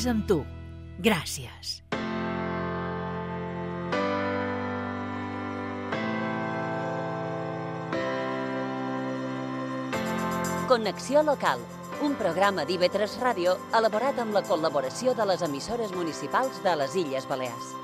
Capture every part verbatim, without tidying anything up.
anys amb tu. Gràcies. Connexió local, un programa d'I V tres Ràdio elaborat amb la col·laboració de les emissores municipals de les Illes Balears.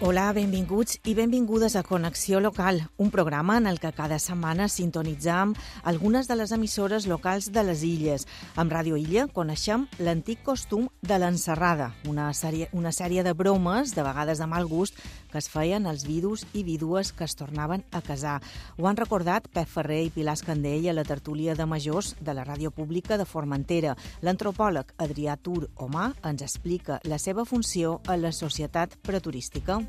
Hola, benvinguts i benvingudes a Connexió Local, un programa en el que cada setmana sintonitzam algunes de les emissores locals de les illes. Amb Ràdio Illa coneixem l'antic costum de l'encerrada, una sèrie, una sèrie de bromes, de vegades de mal gust, que es feien als vidus i vídues que es tornaven a casar. Ho han recordat Pep Ferrer i Pilar Escandell a la tertúlia de majors de la ràdio pública de Formentera. L'antropòleg Adrià Tur Omà ens explica la seva funció a la societat preturística.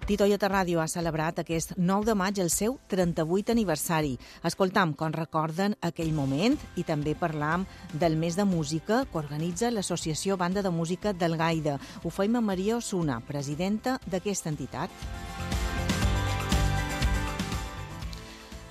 Tito Iota Ràdio ha celebrat aquest nou de maig el seu trenta-vuit aniversari. Escoltam com recorden aquell moment i també parlam del mes de música que organitza l'Associació Banda de Música del Gaida. Ho feim amb Maria Osuna, presidenta d'aquesta entitat.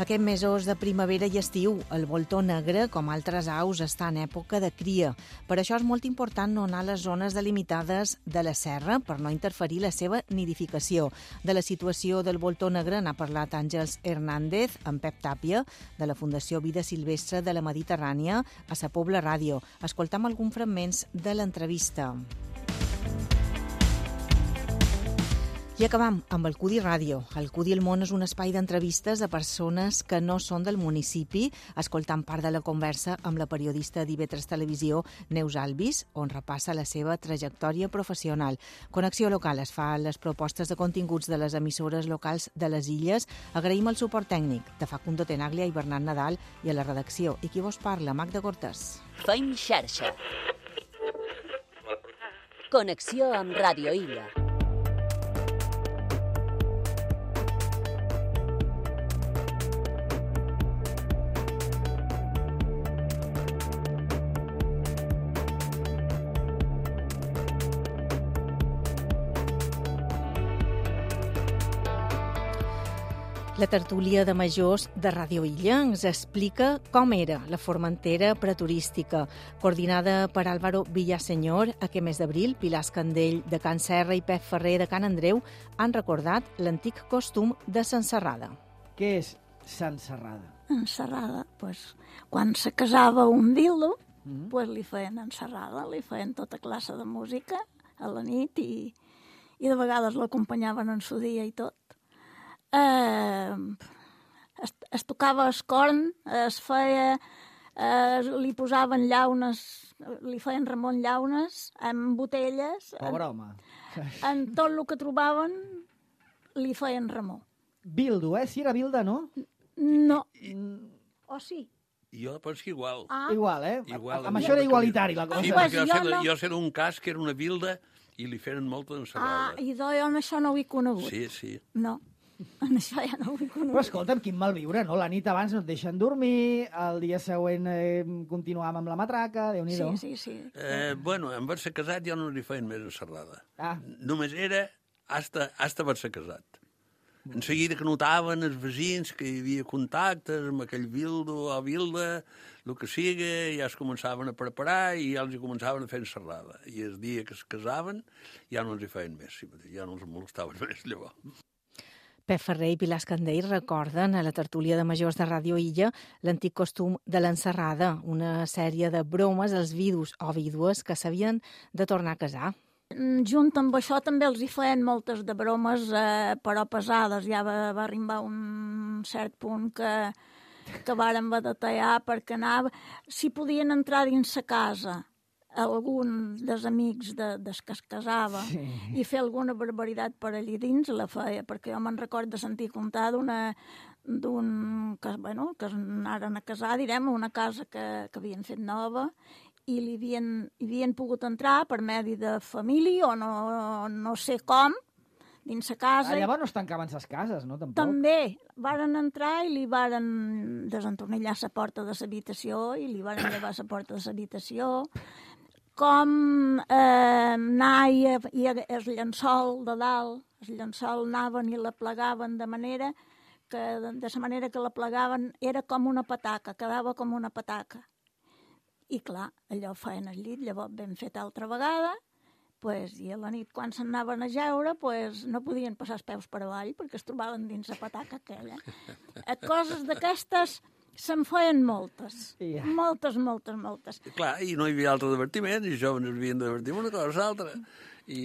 Aquests mesos de primavera i estiu, el voltó negre, com altres aus, està en època de cria. Per això és molt important no anar a les zones delimitades de la serra per no interferir la seva nidificació. De la situació del voltó negre n'ha parlat Àngels Hernández amb Pep Tàpia, de la Fundació Vida Silvestre de la Mediterrània, a Sa Pobla Ràdio. Escoltam alguns fragments de l'entrevista. I acabam amb el Cudi Ràdio. El Cudi el Món és un espai d'entrevistes a persones que no són del municipi, escoltant part de la conversa amb la periodista d'I V tres Televisió, Neus Albis, on repassa la seva trajectòria professional. Connexió Local es fa les propostes de continguts de les emissores locals de les illes. Agraïm el suport tècnic de Facundo Tenaglia i Bernat Nadal i a la redacció. I qui vos parla, Magda Cortés. Feim xarxa. Connexió amb Ràdio Illa. La tertúlia de majors de Ràdio Illa ens explica com era la Formentera preturística. Coordinada per Álvaro Villaseñor, aquest mes d'abril, Pilar Escandell de Can Serra i Pep Ferrer de Can Andreu han recordat l'antic costum de s'encerrada. Què és s'encerrada? Encerrada, pues, quan se casava un dildo, mm. pues, li feien encerrada, li feien tota classe de música a la nit i, i de vegades l'acompanyaven en su dia i tot. Eh, es, es tocava el corn, es feia, eh, li posaven llaunes, li feien Ramon llaunes amb botelles. Pobre home. En tot el que trobaven li feien Ramó. Bildo, eh? Si era Bilda, no? No. I, O sí? jo penso igual. Ah. Igual, eh? Igual, amb això era igualitari, la cosa. Sí, Pues perquè jo, jo sé, no. jo sé d'un cas que era una Bilda i li feien molta Ah, ensalada. i jo en això no ho he conegut. Sí, sí. No, en això ja no ho he conegut. Però escolta'm, quin mal viure, no? La nit abans no et deixen dormir, el dia següent eh, continuàvem amb la matraca, Déu-n'hi-do. Sí, sí, sí. Eh, bueno, en haver-se casat jo no li feien més ensalada. Ah. Només era hasta, hasta haver-se casat. En seguida que notaven els veïns que hi havia contactes amb aquell bildo o bilda, el que sigui, ja es començaven a preparar i ja els hi començaven a fer ensalada. I el dia que es casaven ja no els hi feien més, ja no els molestaven més llavors. Pep Ferrer i Pilar Escandell recorden a la tertúlia de majors de Ràdio Illa l'antic costum de l'encerrada, una sèrie de bromes als vidus o vídues que s'havien de tornar a casar. Junt amb això també els hi feien moltes de bromes, eh, però pesades. Ja va, va arribar un cert punt que, que varen haver de tallar perquè anava... Si podien entrar dins la casa algun dels amics de, des que es casava sí. i fer alguna barbaritat per allí dins, la feia, perquè jo me'n record de sentir contar d'una d'un que, bueno, que anaren a casar, direm, a una casa que, que havien fet nova i li havien, hi havien pogut entrar per medi de família o no, no sé com, dins la casa. Ah, llavors no es tancaven les cases, no? Tampoc. També varen entrar i li varen desentornillar la porta de l'habitació i li varen llevar la porta de l'habitació. Com eh, anar i, i el llençol de dalt, el llençol anaven i la plegaven de manera que, de la manera que la plegaven era com una pataca, quedava com una pataca. I clar, allò feien al llit, llavors ben fet altra vegada, pues, i a la nit quan s'anaven a jeure pues, no podien passar els peus per avall perquè es trobaven dins la pataca aquella. Coses d'aquestes se'n feien moltes, Ja. moltes, moltes, moltes. I clar, i no hi havia altre divertiment, i els joves havien de divertir amb una cosa o l'altra. I,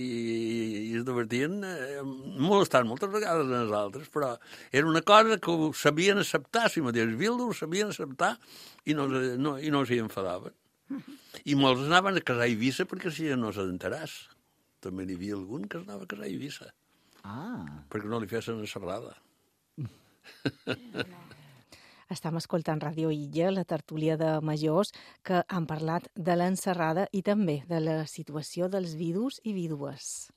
i es divertien eh, molestant moltes vegades en els altres, però era una cosa que ho sabien acceptar, si mateix Vildo ho sabien acceptar i no, no, i no s'hi enfadaven. I molts anaven a casar a Eivissa perquè si no s'adentaràs. També n'hi havia algun que es anava a casar a Eivissa. Ah. Perquè no li fessin una serrada. Estem escoltant Ràdio Illa, la tertúlia de majors, que han parlat de l'encerrada i també de la situació dels vidus i vídues.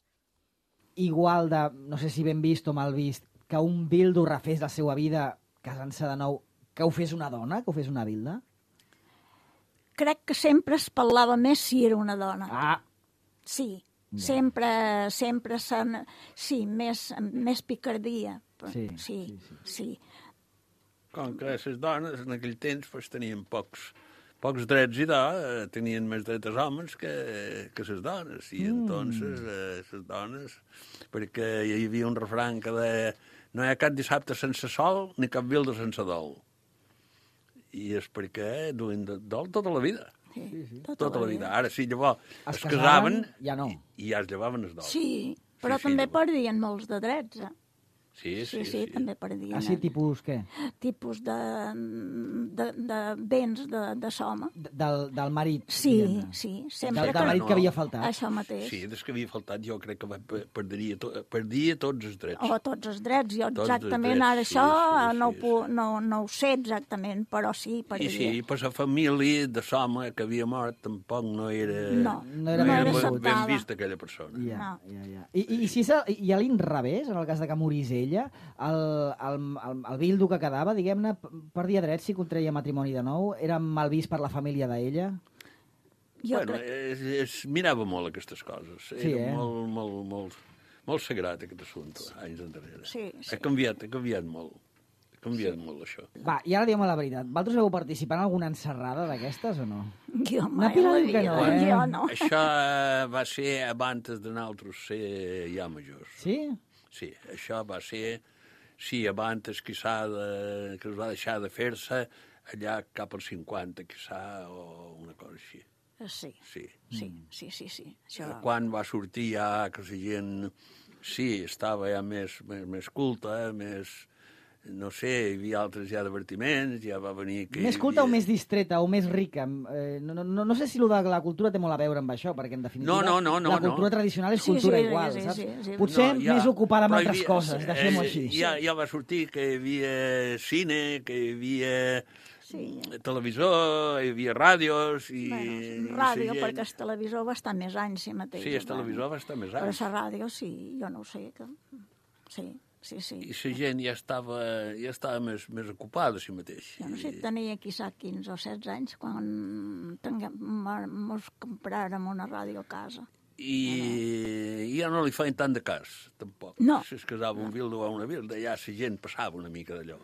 Igual de, no sé si ben vist o mal vist, que un Bildo refés la seva vida casant-se de nou, que ho fes una dona, que ho fes una Vilda? Crec que sempre es parlava més si era una dona. Ah, Sí, Ja. sempre, sempre s'han... Sí, més, més picardia. Sí, sí, sí, sí. sí. sí. Com que les dones en aquell temps pues, tenien pocs, pocs drets i de, eh, tenien més drets els homes que, que les dones. I Mm. entonces eh, les dones... Perquè hi havia un refrany que deia no hi ha cap dissabte sense sol ni cap Vilda sense dol. I és perquè duien de dol tota la vida. sí. Tota, tota la vida. Ara sí, llavors Es es, casaven, casaven ja no. i, i ja es llevaven els dol. Sí, però Sí, sí, també llavors. perdien molts de drets, eh? Sí, Sí, sí, sí, també perdien. Ah, sí, tipus què? Tipus de, de, de béns de, de soma. D- Del, del marit. Sí, diguem-ne. sí, Del, sempre del que... marit que havia faltat. Això mateix. Sí, des que havia faltat jo crec que va, perdia, to, perdia tots els drets. O tots els drets. Jo Tots els exactament drets, ara sí, això sí, no, sí, ho pu- no, no ho sé exactament, però sí, I perdia. sí, per la família de l'home que havia mort tampoc no era, No, no era no ben era vist. ben, ben acceptada. vista aquella persona. Ja, No. ja, ja. I, i, i si és a, i a l'inrevés, en el cas de que morís ella, el, el, el, el Bildo que quedava, diguem-ne, p- perdia drets si contreia matrimoni de nou? Era mal vist per la família d'ella? Jo bueno, crec... es, es mirava molt aquestes coses. Sí, Era eh? molt, molt, molt, molt sagrat aquest assumpte, anys enrere. Sí, sí. Ha canviat, ha canviat molt. Ha canviat sí. molt, això. Va, i ara diguem la veritat. Vosaltres heu participat en alguna encerrada d'aquestes o no? Jo mai Pilar a la diu que vida, no, eh? jo no. Això eh, va ser abans de nosaltres ser ja majors. Sí? Sí, això va ser, sí, abans quizà de, que es va deixar de fer-se allà cap als cinquanta, quizà, o una cosa així. Sí, Sí. sí, sí, sí, sí. Això... Quan va sortir ja que la gent, sí, estava ja més, més, més culta, més, no sé, hi havia altres ja divertiments, ja va venir... Que Més hi culta havia... o més distreta o més rica? Eh, no, no, no sé si lo de la cultura té molt a veure amb això, perquè en definitiva No, no, no, no, la cultura no. tradicional és Sí, cultura sí, igual, sí, saps? sí, sí. Potser No, ja, més ocupada amb però hi altres havia- coses, deixem-ho eh, així. Ja, ja va sortir que hi havia cine, que hi havia Sí. televisor, hi havia ràdios i... Bueno, i ràdio, la gent- perquè el televisor va estar més anys, sí mateix. Sí, el televisor va estar més Però anys. la ràdio, sí, jo no ho sé. Que... Sí, sí, sí. I la gent ja estava, ja estava més, més ocupada a si mateix. Jo no sé, tenia quizà quinze o setze anys quan tinguem, mos compràrem una ràdio a casa. I, I ja no li feien tant de cas, tampoc. No. Si es casava un vildo o una vilda, ja la gent passava una mica d'allò.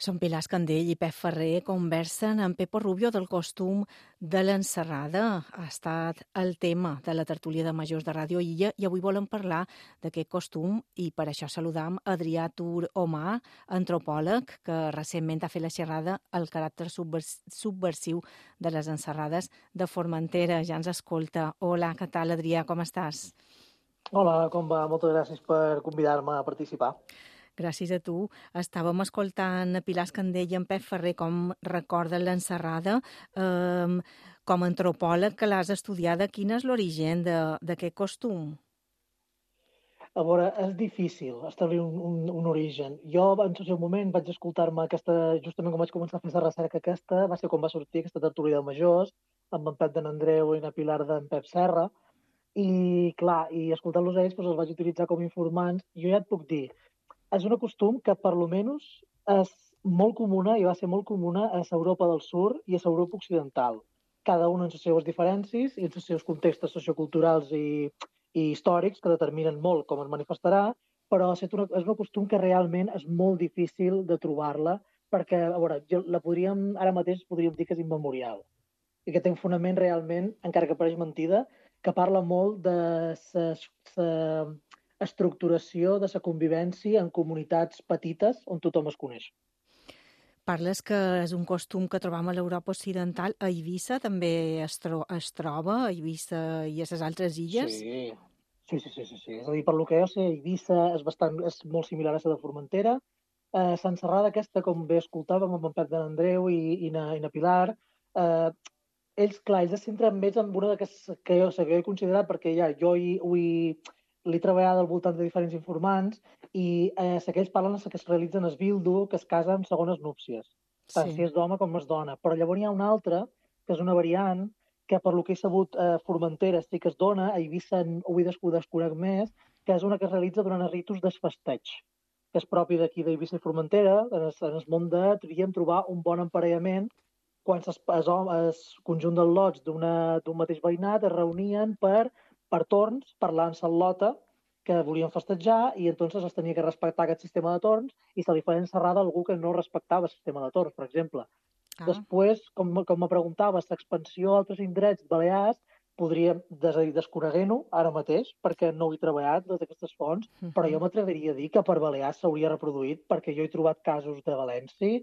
Són Pilar Escandell i Pep Ferrer conversen amb Pepo Rubio del costum de l'encerrada. Ha estat el tema de la tertúlia de majors de Ràdio Illa i avui volem parlar d'aquest costum i per això saludam Adrià Tur Omar, antropòleg, que recentment ha fet la xerrada al caràcter subvers subversiu de les encerrades de Formentera. Ja ens escolta. Hola, què tal, Adrià? Com estàs? Hola, com va? Moltes gràcies per convidar-me a participar. Gràcies a tu. Estàvem escoltant a Pilar Escandell i en Pep Ferrer com recorden l'encerrada. Um, com a antropòleg que l'has estudiada, quin és l'origen d'aquest costum? A veure, és difícil establir un, un, un origen. Jo, en el seu moment, vaig escoltar-me aquesta, justament quan vaig començar a fer la recerca aquesta, va ser quan va sortir aquesta tertúlia de majors, amb en Pep d'en Andreu i la Pilar d'en Pep Serra, I, clar, i escoltant-los a ells doncs, els vaig utilitzar com a informants. Jo ja et puc dir, és un costum que per lo menys és molt comuna i va ser molt comuna a Europa del Sud i a Europa Occidental. Cada un amb les seves diferències i els seus contextos socioculturals i, i històrics que determinen molt com es manifestarà, però és un, és un costum que realment és molt difícil de trobar-la perquè, a veure, la podríem, ara mateix podríem dir que és immemorial i que té un fonament realment, encara que pareix mentida, que parla molt de la estructuració de la convivència en comunitats petites on tothom es coneix. Parles que és un costum que trobam a l'Europa Occidental. A Eivissa també es, tro es troba, a Eivissa i a les altres illes? Sí, sí, sí, sí, sí, sí. És a dir, per lo que jo sé, Eivissa és, bastant, és molt similar a la de Formentera. Eh, Sant Serrada aquesta, com bé escoltàvem amb en Pep de l'Andreu i, i, na, i na Pilar, eh, ells, clar, ells es centren més en una que, que, jo, que jo he considerat, perquè ja jo hi, hi, l'he treballat al voltant de diferents informants i eh, que ells parlen que es realitzen es bildu, que es casen en segones núpcies, tant sí. si és d'home com és dona. Però llavors hi ha una altra, que és una variant, que per lo que he sabut a eh, Formentera sí que es dona, a Eivissa ho he desconec més, que és una que es realitza durant els ritus desfesteig, que és propi d'aquí d'Eivissa i Formentera, en el, en el món de, diríem, trobar un bon emparellament quan el conjunt dels lots d'un mateix veïnat es reunien per, per torns, parlant en lota, que volien festejar, i entonces es tenia que respectar aquest sistema de torns i se li feia encerrada a algú que no respectava el sistema de torns, per exemple. Ah. Després, com, com me preguntaves, l'expansió a altres indrets balears, podríem, des, desconeguent-ho ara mateix, perquè no ho he treballat des d'aquestes fonts, uh -huh. però jo m'atreviria a dir que per Balears s'hauria reproduït, perquè jo he trobat casos de València,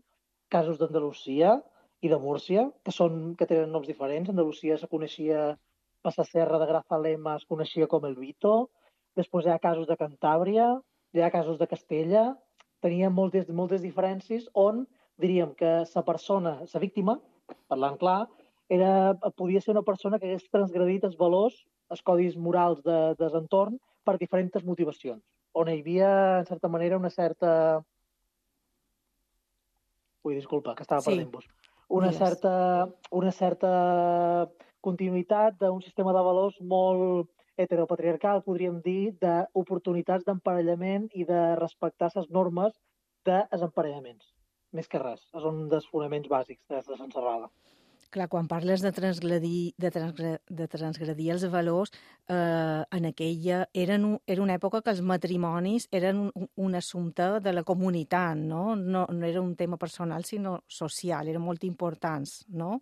casos d'Andalusia i de Múrcia, que, són, que tenen noms diferents. Andalusia se coneixia per la serra de Grazalema, es coneixia com el Vito. Després hi ha casos de Cantàbria, hi ha casos de Castella. Tenia moltes, moltes diferències on diríem que la persona, la víctima, parlant clar, era, podia ser una persona que hagués transgredit els valors, els codis morals de, de l'entorn per diferents motivacions, on hi havia, en certa manera, una certa... Ui, disculpa, que estava sí. perdent-vos. Una certa, una certa continuïtat d'un sistema de valors molt heteropatriarcal, podríem dir, d'oportunitats d'emparellament i de respectar les normes dels emparellaments. Més que res, són dels fonaments bàsics de la Serrada. Clar, quan parles de transgredir, de transgredir, de transgredir els valors, eh, en aquella eren, era una època que els matrimonis eren un, un assumpte de la comunitat, no? No, no era un tema personal, sinó social, eren molt importants, no?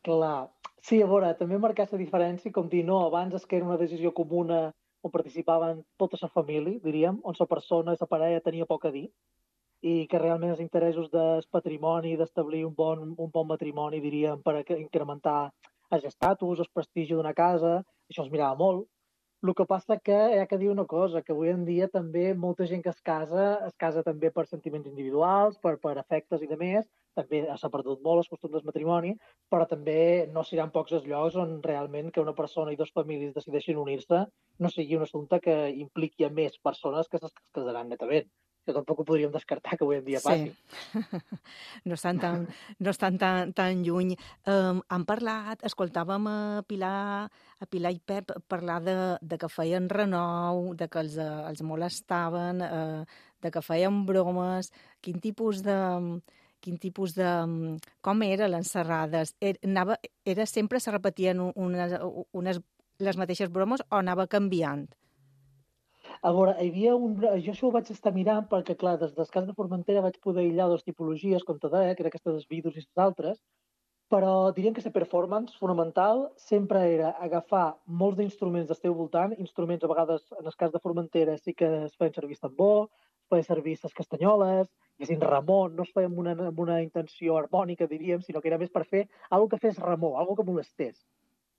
Clar, sí, a veure, també marcar la diferència, com dir, no, abans és que era una decisió comuna on participaven tota la família, diríem, on la persona, la parella tenia poc a dir, i que realment els interessos del patrimoni, d'establir un bon, un bon matrimoni, diríem, per incrementar els estatus, el prestigi d'una casa, això es mirava molt. El que passa que hi ha que dir una cosa, que avui en dia també molta gent que es casa, es casa també per sentiments individuals, per, per afectes i demés, també s'ha perdut molt els costums del matrimoni, però també no seran pocs els llocs on realment que una persona i dues famílies decideixin unir-se no sigui un assumpte que impliqui a més persones que es casaran netament. Que tampoc ho podríem descartar que avui en dia passi. Sí. No estan tan, no estan tan, tan lluny. Um, han parlat, escoltàvem a Pilar, a Pilar i Pep parlar de, de que feien renou, de que els, els molestaven, uh, de que feien bromes. Quin tipus de... Quin tipus de... Com era l'encerrades? Era, anava, era sempre se repetien unes, unes, les mateixes bromes o anava canviant? A veure, hi havia un... Jo això ho vaig estar mirant perquè, clar, des del cas de Formentera vaig poder aïllar dues tipologies, com te deia, que era aquesta dels vidus i les altres, però diríem que la performance fonamental sempre era agafar molts d'instruments del teu voltant, instruments a vegades, en el cas de Formentera, sí que es feien servir tambor, es feien servir les castanyoles, i sin Ramon, no es feien amb una, amb una intenció harmònica, diríem, sinó que era més per fer alguna que fes remor, alguna que molestés.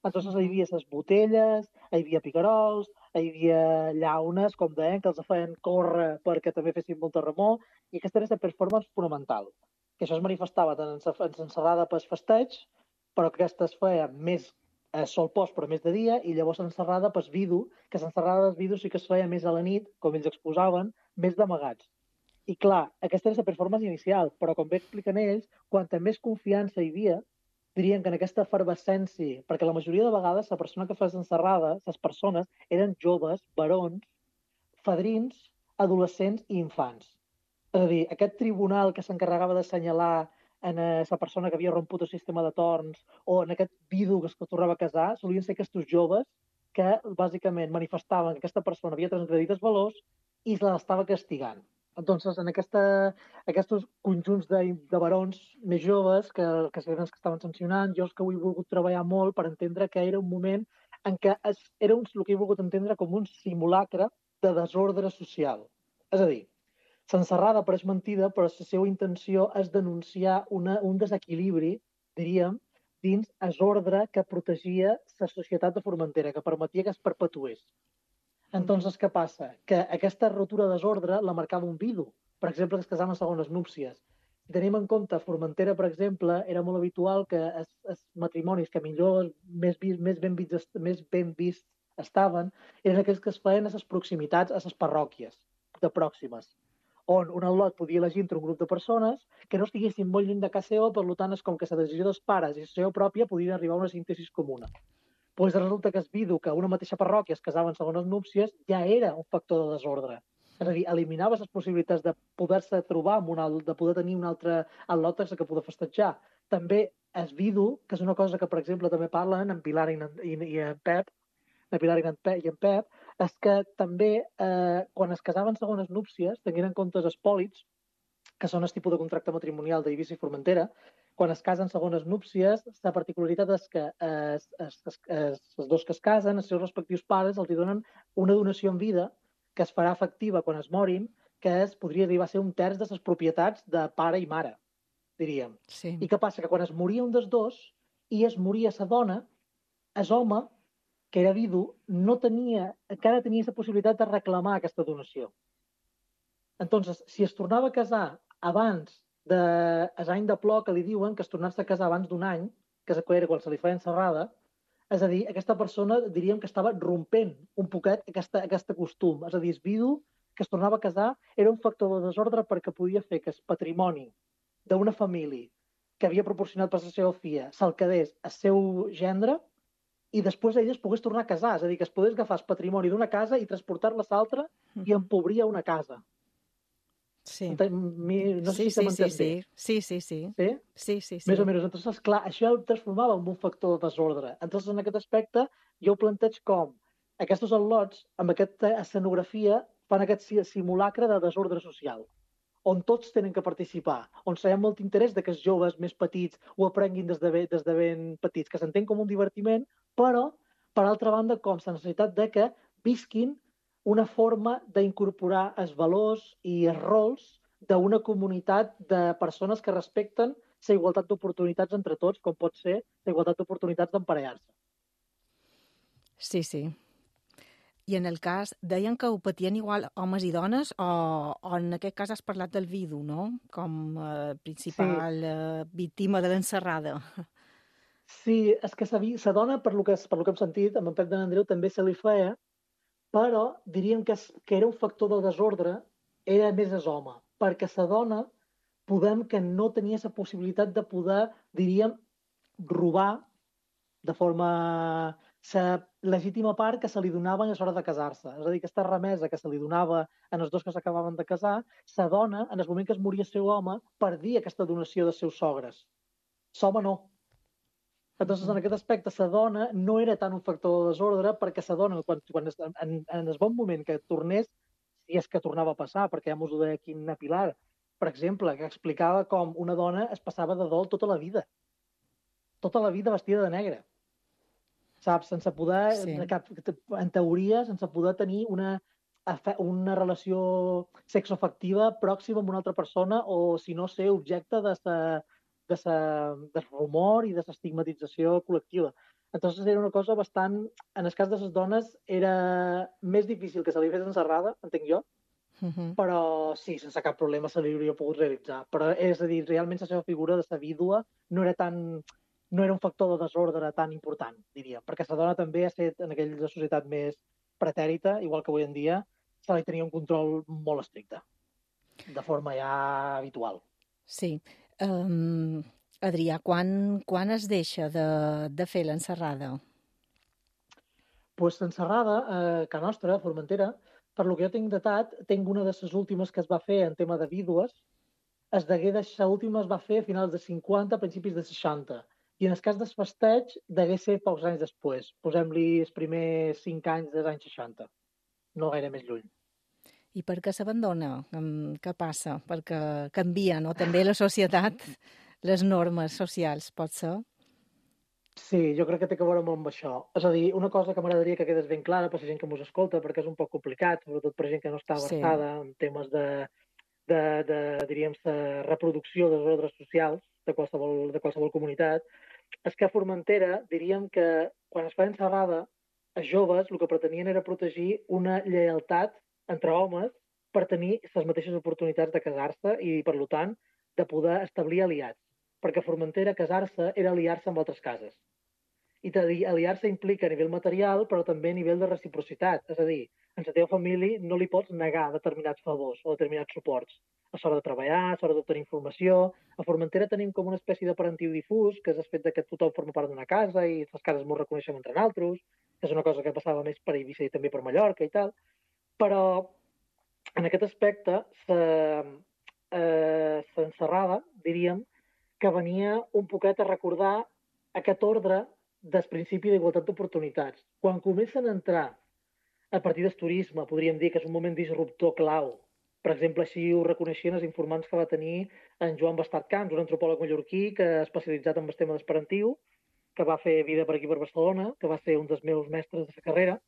Entonces hi havia les botelles, hi havia picarols, hi havia llaunes, com deien, que els feien córrer perquè també fessin molta remor, i aquesta era la performance fonamental, que això es manifestava tant en l'encerrada per festeig, però que aquesta es feia més a sol post, però més de dia, i llavors l'encerrada per vidu, que l'encerrada dels vidus sí que es feia més a la nit, com ells exposaven, més d'amagats. I clar, aquesta era la performance inicial, però com bé expliquen ells, quanta més confiança hi havia, diríem que en aquesta efervescència, perquè la majoria de vegades la persona que fa encerrada, les persones, eren joves, barons, fadrins, adolescents i infants. És a dir, aquest tribunal que s'encarregava d'assenyalar en la persona que havia romput el sistema de torns o en aquest vidu que es tornava a casar, solien ser aquests joves que bàsicament manifestaven que aquesta persona havia transgredit els valors i l'estava castigant. Entonces, en aquesta, aquests conjunts de, de barons més joves que, que eren els que estaven sancionant, jo és que ho he volgut treballar molt per entendre que era un moment en què es, era un, el que he volgut entendre com un simulacre de desordre social. És a dir, l'encerrada apareix mentida, però la seva intenció és denunciar una, un desequilibri, diríem, dins el ordre que protegia la societat de Formentera, que permetia que es perpetués. Entonces, què passa? Que aquesta rotura de desordre la marcava un vidu. Per exemple, que es casaven segones núpcies. Si tenim en compte Formentera, per exemple, era molt habitual que els, els matrimonis que millor, més, vist, més, ben vist, més ben vists estaven, eren aquells que es feien a les proximitats, a les parròquies de pròximes, on un al·lot podia elegir entre un grup de persones que no estiguessin molt lluny de casa seva, per tant, és com que la decisió dels pares i la seva pròpia podien arribar a una síntesi comuna. Pues resulta que es vidu que una mateixa parròquia es casava en segones núpcies ja era un factor de desordre. És a dir, eliminava les possibilitats de poder-se trobar amb un alt, de poder tenir un altre al·lot que poder festejar. També es vidu, que és una cosa que, per exemple, també parlen en Pilar i en, i, i en Pep, en Pilar i en, Pep, i en Pep, és que també eh, quan es casaven segones núpcies, tenint en compte els espòlits, que són el tipus de contracte matrimonial d'Eivissa i Formentera, quan es casen segones núpcies, la particularitat és que els, els, els, els dos que es casen, els seus respectius pares, els donen una donació en vida que es farà efectiva quan es morin, que es podria arribar a ser un terç de les propietats de pare i mare, diríem. Sí. I què passa? Que quan es moria un dels dos i es moria la dona, el home, que era vidu, no tenia, encara tenia la possibilitat de reclamar aquesta donació. Entonces, si es tornava a casar abans de l'any de plor que li diuen, que es tornés a casar abans d'un any, que era quan se li feia encerrada, és a dir, aquesta persona diríem que estava rompent un poquet aquesta, aquest costum. És a dir, el vidu que es tornava a casar era un factor de desordre perquè podia fer que el patrimoni d'una família que havia proporcionat per la seva filla se'l quedés al seu gendre i després ell es pogués tornar a casar. És a dir, que es pogués agafar el patrimoni d'una casa i transportar-la a l'altra i empobria una casa. Sí. No sé sí, si se m'entén sí, bé. sí, sí, sí. Sí? Sí, sí, sí. Més o menys. Entonces, clar, això ho transformava en un factor de desordre. Entonces, en aquest aspecte, jo ho planteig com aquests al·lots, amb aquesta escenografia, fan aquest simulacre de desordre social, on tots tenen que participar, on hi ha molt interès de que els joves més petits ho aprenguin des de, ben, des de ben petits, que s'entén com un divertiment, però, per altra banda, com la necessitat de que visquin una forma d'incorporar els valors i els rols d'una comunitat de persones que respecten la igualtat d'oportunitats entre tots, com pot ser la igualtat d'oportunitats d'emparellar-se. Sí, sí. I en el cas, deien que ho patien igual homes i dones, o, o en aquest cas has parlat del vidu, no? Com eh, principal sí. eh, víctima de l'encerrada. Sí, és que la dona, per lo que, per lo que hem sentit, amb en Pep de n'Andreu també se li feia, però diríem que, que era un factor de desordre, era més el home, perquè la dona podem que no tenia la possibilitat de poder, diríem, robar de forma la legítima part que se li donava a l'hora de casar-se. És a dir, aquesta remesa que se li donava en els dos que s'acabaven de casar, la dona, en el moment que es moria el seu home, perdia aquesta donació dels seus sogres. L'home no. Entonces, en aquest aspecte, la dona no era tant un factor de desordre perquè la dona, quan, quan es, en, en el bon moment que tornés, si és que tornava a passar, perquè ja m'ho deia aquí en Pilar, per exemple, que explicava com una dona es passava de dol tota la vida. Tota la vida vestida de negre. Saps? Sense poder, sí. cap, en teoria, sense poder tenir una, una relació sexoafectiva pròxima amb una altra persona o, si no, ser objecte de sa, de sa, del rumor i de l'estigmatització col·lectiva. Entonces era una cosa bastant... En el cas de les dones era més difícil que se li fes encerrada, entenc jo, uh-huh. però sí, sense cap problema se li hauria pogut realitzar. Però és a dir, realment la seva figura de la vídua no era tan... no era un factor de desordre tan important, diria, perquè la dona també ha estat en aquella societat més pretèrita, igual que avui en dia, se li tenia un control molt estricte, de forma ja habitual. Sí. Um, Adrià, quan, quan es deixa de, de fer l'enserrada? Pues l'enserrada, a Ca Nostra, a Formentera, per lo que jo tinc datat, tinc una de les últimes que es va fer en tema de vídues, es degué deixar, última es va fer a finals de cinquanta, principis de seixanta. I en el cas del festeig, degué ser pocs anys després. Posem-li els primers cinc anys dels anys seixanta. No gaire més lluny. I per què s'abandona? Què passa? Perquè canvia, no? També la societat, les normes socials, pot ser? Sí, jo crec que té que veure molt amb això. És a dir, una cosa que m'agradaria que quedés ben clara per la gent que mos escolta, perquè és un poc complicat, sobretot per gent que no està versada sí. en temes de, de, de, diríem, de reproducció dels ordres socials de qualsevol, de qualsevol comunitat, és que a Formentera diríem que quan es fa enserrada, els joves el que pretenien era protegir una lleialtat entre homes per tenir les mateixes oportunitats de casar-se i, per tant, de poder establir aliats. Perquè a Formentera casar-se era aliar-se amb altres cases. I aliar-se implica a nivell material, però també a nivell de reciprocitat. És a dir, en la teva família no li pots negar determinats favors o determinats suports. A l'hora de treballar, a l'hora d'obtenir informació. A Formentera tenim com una espècie de parentiu difús, que és el fet que tothom forma part d'una casa i les cases ens reconeixem entre nosaltres, que és una cosa que passava més per Eivissa i també per Mallorca i tal. Però, en aquest aspecte, l'enserrada, diríem, que venia un poquet a recordar aquest ordre del principi d'igualtat d'oportunitats. Quan comencen a entrar a partir del turisme, podríem dir que és un moment disruptor clau. Per exemple, així ho reconeixien els informants que va tenir en Joan Bastard Camps, un antropòleg mallorquí que ha especialitzat en el tema d'esperantiu, que va fer vida per aquí per Barcelona, que va ser un dels meus mestres de la carrera.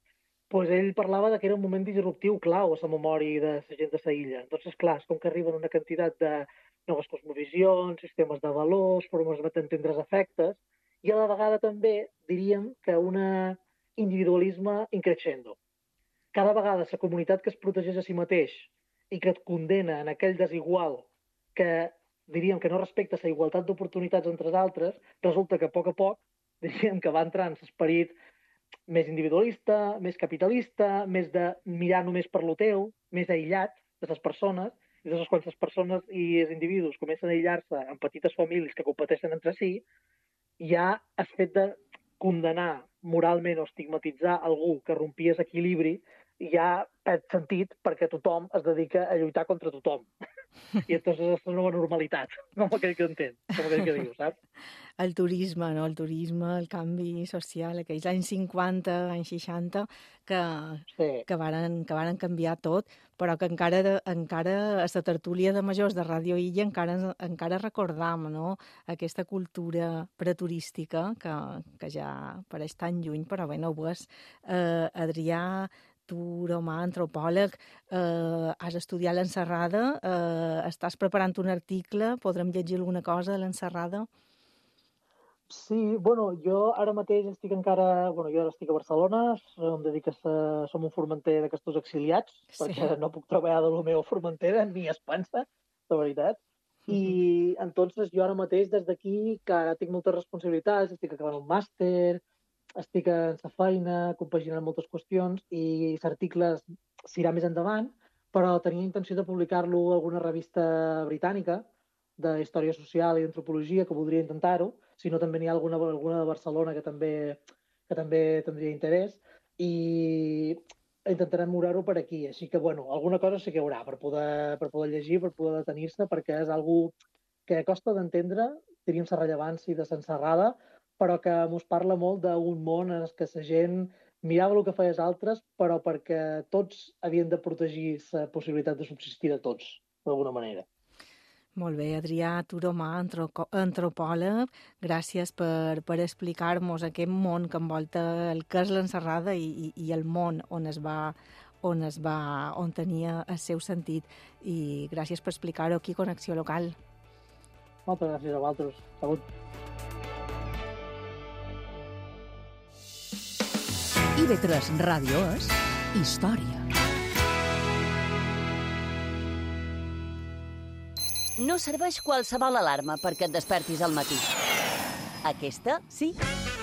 Pues ell parlava de que era un moment disruptiu clau a la memòria de la gent de la illa. Entonces, clar, és com que arriben una quantitat de noves cosmovisions, sistemes de valors, formes d'entendre els efectes, i a la vegada també diríem que un individualisme increixendo. Cada vegada la comunitat que es protegeix a si mateix i que et condena en aquell desigual que diríem que no respecta la igualtat d'oportunitats entre els altres, resulta que a poc a poc diríem que va entrar en l'esperit més individualista, més capitalista, més de mirar només per lo teu, més aïllat de les persones, i llavors quan les persones i els individus comencen a aïllar-se en petites famílies que competeixen entre si, ja has fet de condenar moralment o estigmatitzar algú que rompia l'equilibri ja perd sentit perquè tothom es dedica a lluitar contra tothom. I entonces és una nova normalitat, com aquell que entén, com aquell que diu, saps? El turisme, no? El turisme, el canvi social, aquells anys cinquanta, anys seixanta, que, sí. que, varen, que varen canviar tot, però que encara, encara a la tertúlia de majors de Ràdio Illa encara, encara recordam, no? Aquesta cultura preturística que, que ja pareix tan lluny, però bé, no ho és. Eh, Adrià, tu, Romà, antropòleg, eh, has estudiat l'enserrada, eh, estàs preparant un article, podrem llegir alguna cosa de l'enserrada? Sí, bueno, jo ara mateix estic encara... Bueno, jo ara estic a Barcelona, em dedico a... Som un formenter d'aquests exiliats, sí. perquè no puc treballar de lo meu a Formentera, ni a Espansa, de veritat. I uh-huh. entonces jo ara mateix, des d'aquí, que ara tinc moltes responsabilitats, estic acabant un màster, estic en la feina, compaginant moltes qüestions, i l'article s'irà més endavant, però tenia intenció de publicar-lo a alguna revista britànica de història social i d'antropologia, que voldria intentar-ho, si no també n'hi ha alguna, alguna de Barcelona que també, que també tindria interès, i intentarem moure-ho per aquí. Així que, bueno, alguna cosa sí que hi haurà per poder, per poder llegir, per poder detenir-se, perquè és algú que costa d'entendre, diríem la rellevància de l'enserrada, però que mos parla molt d'un món en què la gent mirava el que feia els altres, però perquè tots havien de protegir la possibilitat de subsistir de tots, d'alguna manera. Molt bé, Adrià Turomà, antropòleg, gràcies per, per explicar-nos aquest món que envolta el que és l'enserrada i, i, i el món on es va, on es va, on tenia el seu sentit. I gràcies per explicar-ho aquí a Connexió Local. Moltes gràcies a vosaltres. Salut. I V tres Ràdio és història. No serveix qualsevol alarma perquè et despertis al matí. Aquesta, sí.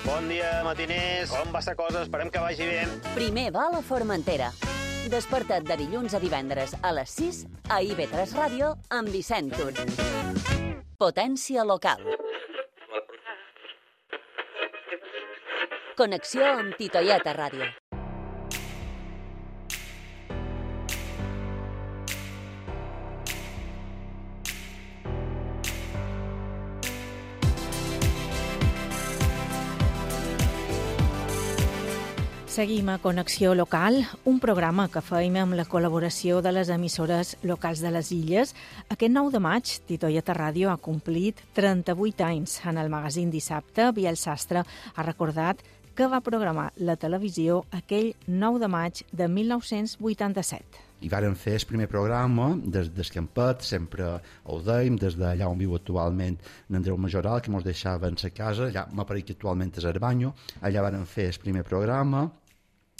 Bon dia, matiners. Com va la cosa? Esperem que vagi bé. Primer vol a Formentera. Desperta't de dilluns a divendres a les sis a I V tres Ràdio amb Vicent Tur. Potència local. Connexió amb Titoieta Ràdio. Seguim a Connexió Local, un programa que feim amb la col·laboració de les emissores locals de les Illes. Aquest nou de maig, Titoieta Ràdio ha complit trenta-vuit anys. En el magazín Dissabte, Biel Sastre ha recordat que va programar la televisió aquell nou de maig de mil nou-cents vuitanta-set. I varen fer el primer programa des d'Escampet, sempre ho dèiem, des d'allà on viu actualment n'Andreu Majoral, que ens deixava en sa casa, allà m'apareix que actualment és Arbanyo, allà varen fer el primer programa.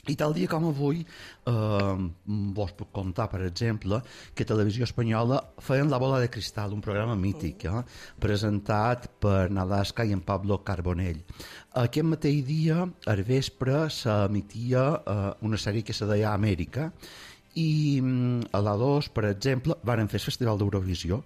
I tal dia com avui, eh, vos puc contar, per exemple, que Televisió Espanyola feien La bola de cristal, un programa mític, eh, presentat per Nadasca i en Pablo Carbonell. Aquest mateix dia, al vespre, s'emetia eh, una sèrie que se deia Amèrica, i a l'A dos, per exemple, varen fer el Festival d'Eurovisió.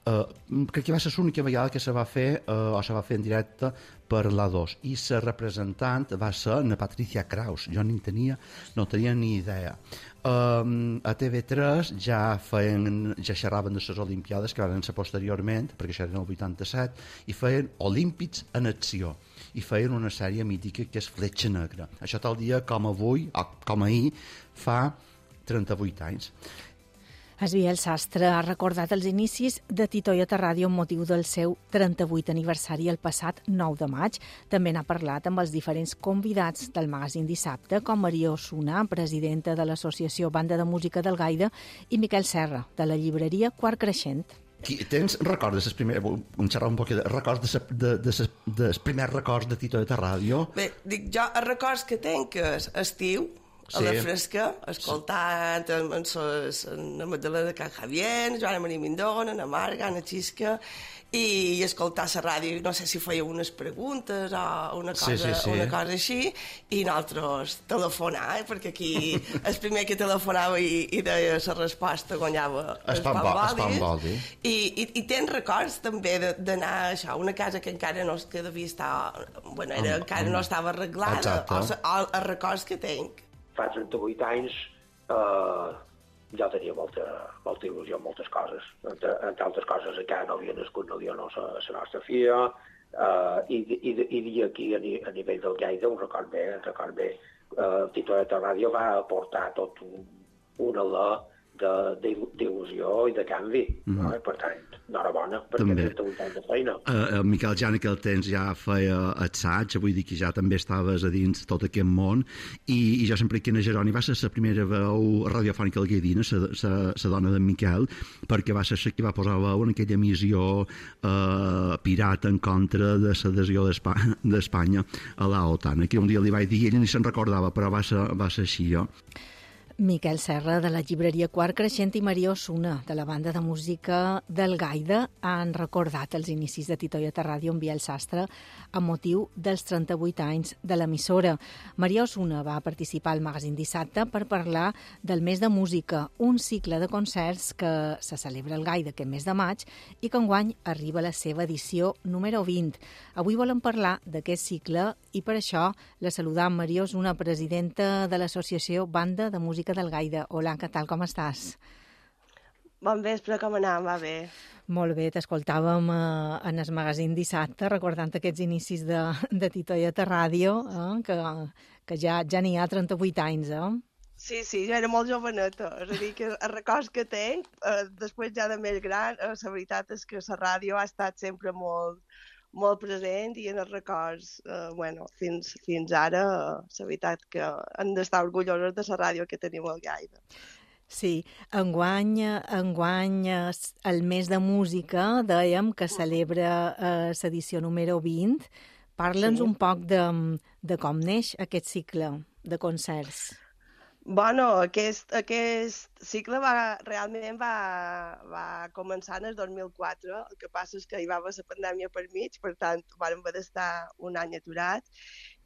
Uh, crec que va ser l'única vegada que se va fer uh, o se va fer en directe per l'A dos, i la representant va ser na Patricia Kraus. Jo ni tenia, no tenia ni idea. Um, a T V tres ja feien, ja xerraven de les Olimpiades, que van ser posteriorment, perquè això era el vuitanta-set, i feien Olímpics en acció, i feien una sèrie mítica que és Fletxa Negra. Això tal dia com avui, o com ahir, fa trenta-vuit anys. Biel Sastre ha recordat els inicis de Titoieta Ràdio amb motiu del seu trenta-vuit aniversari el passat nou de maig. També n'ha parlat amb els diferents convidats del magazín Dissabte, com Maria Osuna, presidenta de l'associació Banda de Música d'Algaida, i Miquel Serra, de la llibreria Quart Creixent. Tens records de ses primeres... Un xerrar un poc de records de, de, de, ses, dels primers records de Titoieta Ràdio? Bé, dic jo, els records que tenc és estiu, a la fresca, escoltant en, en, ses, en la Magdalena de Can Javier, en Joana Maria Mindona, en Marga, en Xisca, i, i escoltar la ràdio, no sé si feia unes preguntes o una cosa, sí, sí, sí. una cosa així, i nosaltres telefonar, eh, perquè aquí el primer que telefonava i, i deia la resposta guanyava el Pamboli. I, i, i tens records també d'anar a això, una casa que encara no que devia estar, bueno, era, um, encara um, no estava arreglada, o, o els records que tenc. Fa trenta-vuit anys eh, ja tenia molta, molta il·lusió en moltes coses. Entre, entre altres coses, encara no havia nascut, no havia no la nostra filla, eh, i, i, i aquí a, a nivell del Lleida, un record bé, un record bé. Eh, Titoieta Ràdio va aportar tot un, una alè d'il·lusió i de canvi. Mm-hmm. No? Per tant, enhorabona, perquè trenta-vuit anys de feina. Uh, Miquel, ja en aquell temps ja feia assaig, vull dir que ja també estaves a dins tot aquest món, i, i jo sempre que en Jeroni va ser la primera veu radiofònica algaidina, la dona d'en Miquel, perquè va ser la que va posar veu en aquella emissió uh, pirata en contra de l'adhesió d'Espanya a l'OTAN, que un dia li vaig dir i ell ni se'n recordava, però va ser, va ser així, jo. Miquel Serra, de la llibreria Quart Creixent, i Maria Osuna, de la banda de música d'Algaida, han recordat els inicis de Titoieta Ràdio amb Biel Sastre amb motiu dels trenta-vuit anys de l'emissora. Maria Osuna va participar al magazín Dissabte per parlar del mes de música, un cicle de concerts que se celebra a Algaida aquest mes de maig i que enguany arriba a la seva edició número vint. Avui volem parlar d'aquest cicle i per això la saludam Maria Osuna, presidenta de l'associació Banda de Música d'Algaida. Hola, què tal, com estàs? Bon vespre, com anem? Va bé. Molt bé, t'escoltàvem eh, en el magazín Dissabte, recordant aquests inicis de, de Titoieta Ràdio, eh, que, que ja, ja n'hi ha trenta-vuit anys, eh? Sí, sí, jo era molt joveneta, és a dir, que els records que tenc, eh, després ja de més gran, eh, la veritat és que la ràdio ha estat sempre molt, molt present i en els records, eh, bueno, fins, fins ara, eh, la veritat que hem d'estar orgullosos de la ràdio que tenim al Lleida. Sí, enguany, enguany el mes de música, dèiem que celebra eh, l'edició número vint. Parla'ns sí. un poc de, de com neix aquest cicle de concerts. Bueno, aquest, aquest cicle va, realment va, va començar en el dos mil quatre, el que passa és que hi va haver la pandèmia per mig, per tant, vam haver d'estar un any aturat,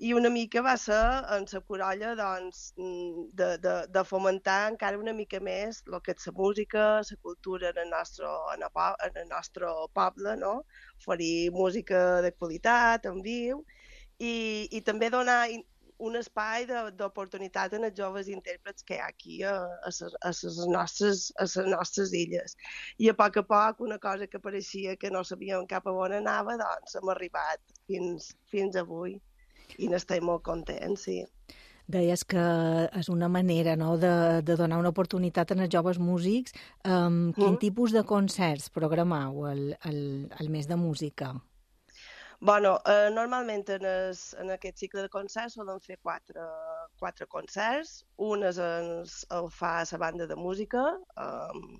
i una mica va ser en la corolla doncs, de, de, de fomentar encara una mica més el que és la música, la cultura en el nostre, en el, en el nostre poble, no? Oferir música de qualitat, en viu, i, i també donar un espai d'oportunitat en els joves intèrprets que hi ha aquí a, a, a, les nostres, a les nostres illes. I a poc a poc, una cosa que pareixia que no sabíem cap a on anava, doncs hem arribat fins, fins avui i n'estem molt contents, sí. Deies que és una manera, no?, de, de donar una oportunitat als joves músics. Um, quin mm. tipus de concerts programeu al, al, al mes de música? Bueno, eh, normalment en, es, en aquest cicle de concerts solen fer quatre, quatre concerts. Un és el, el fa la banda de música, eh,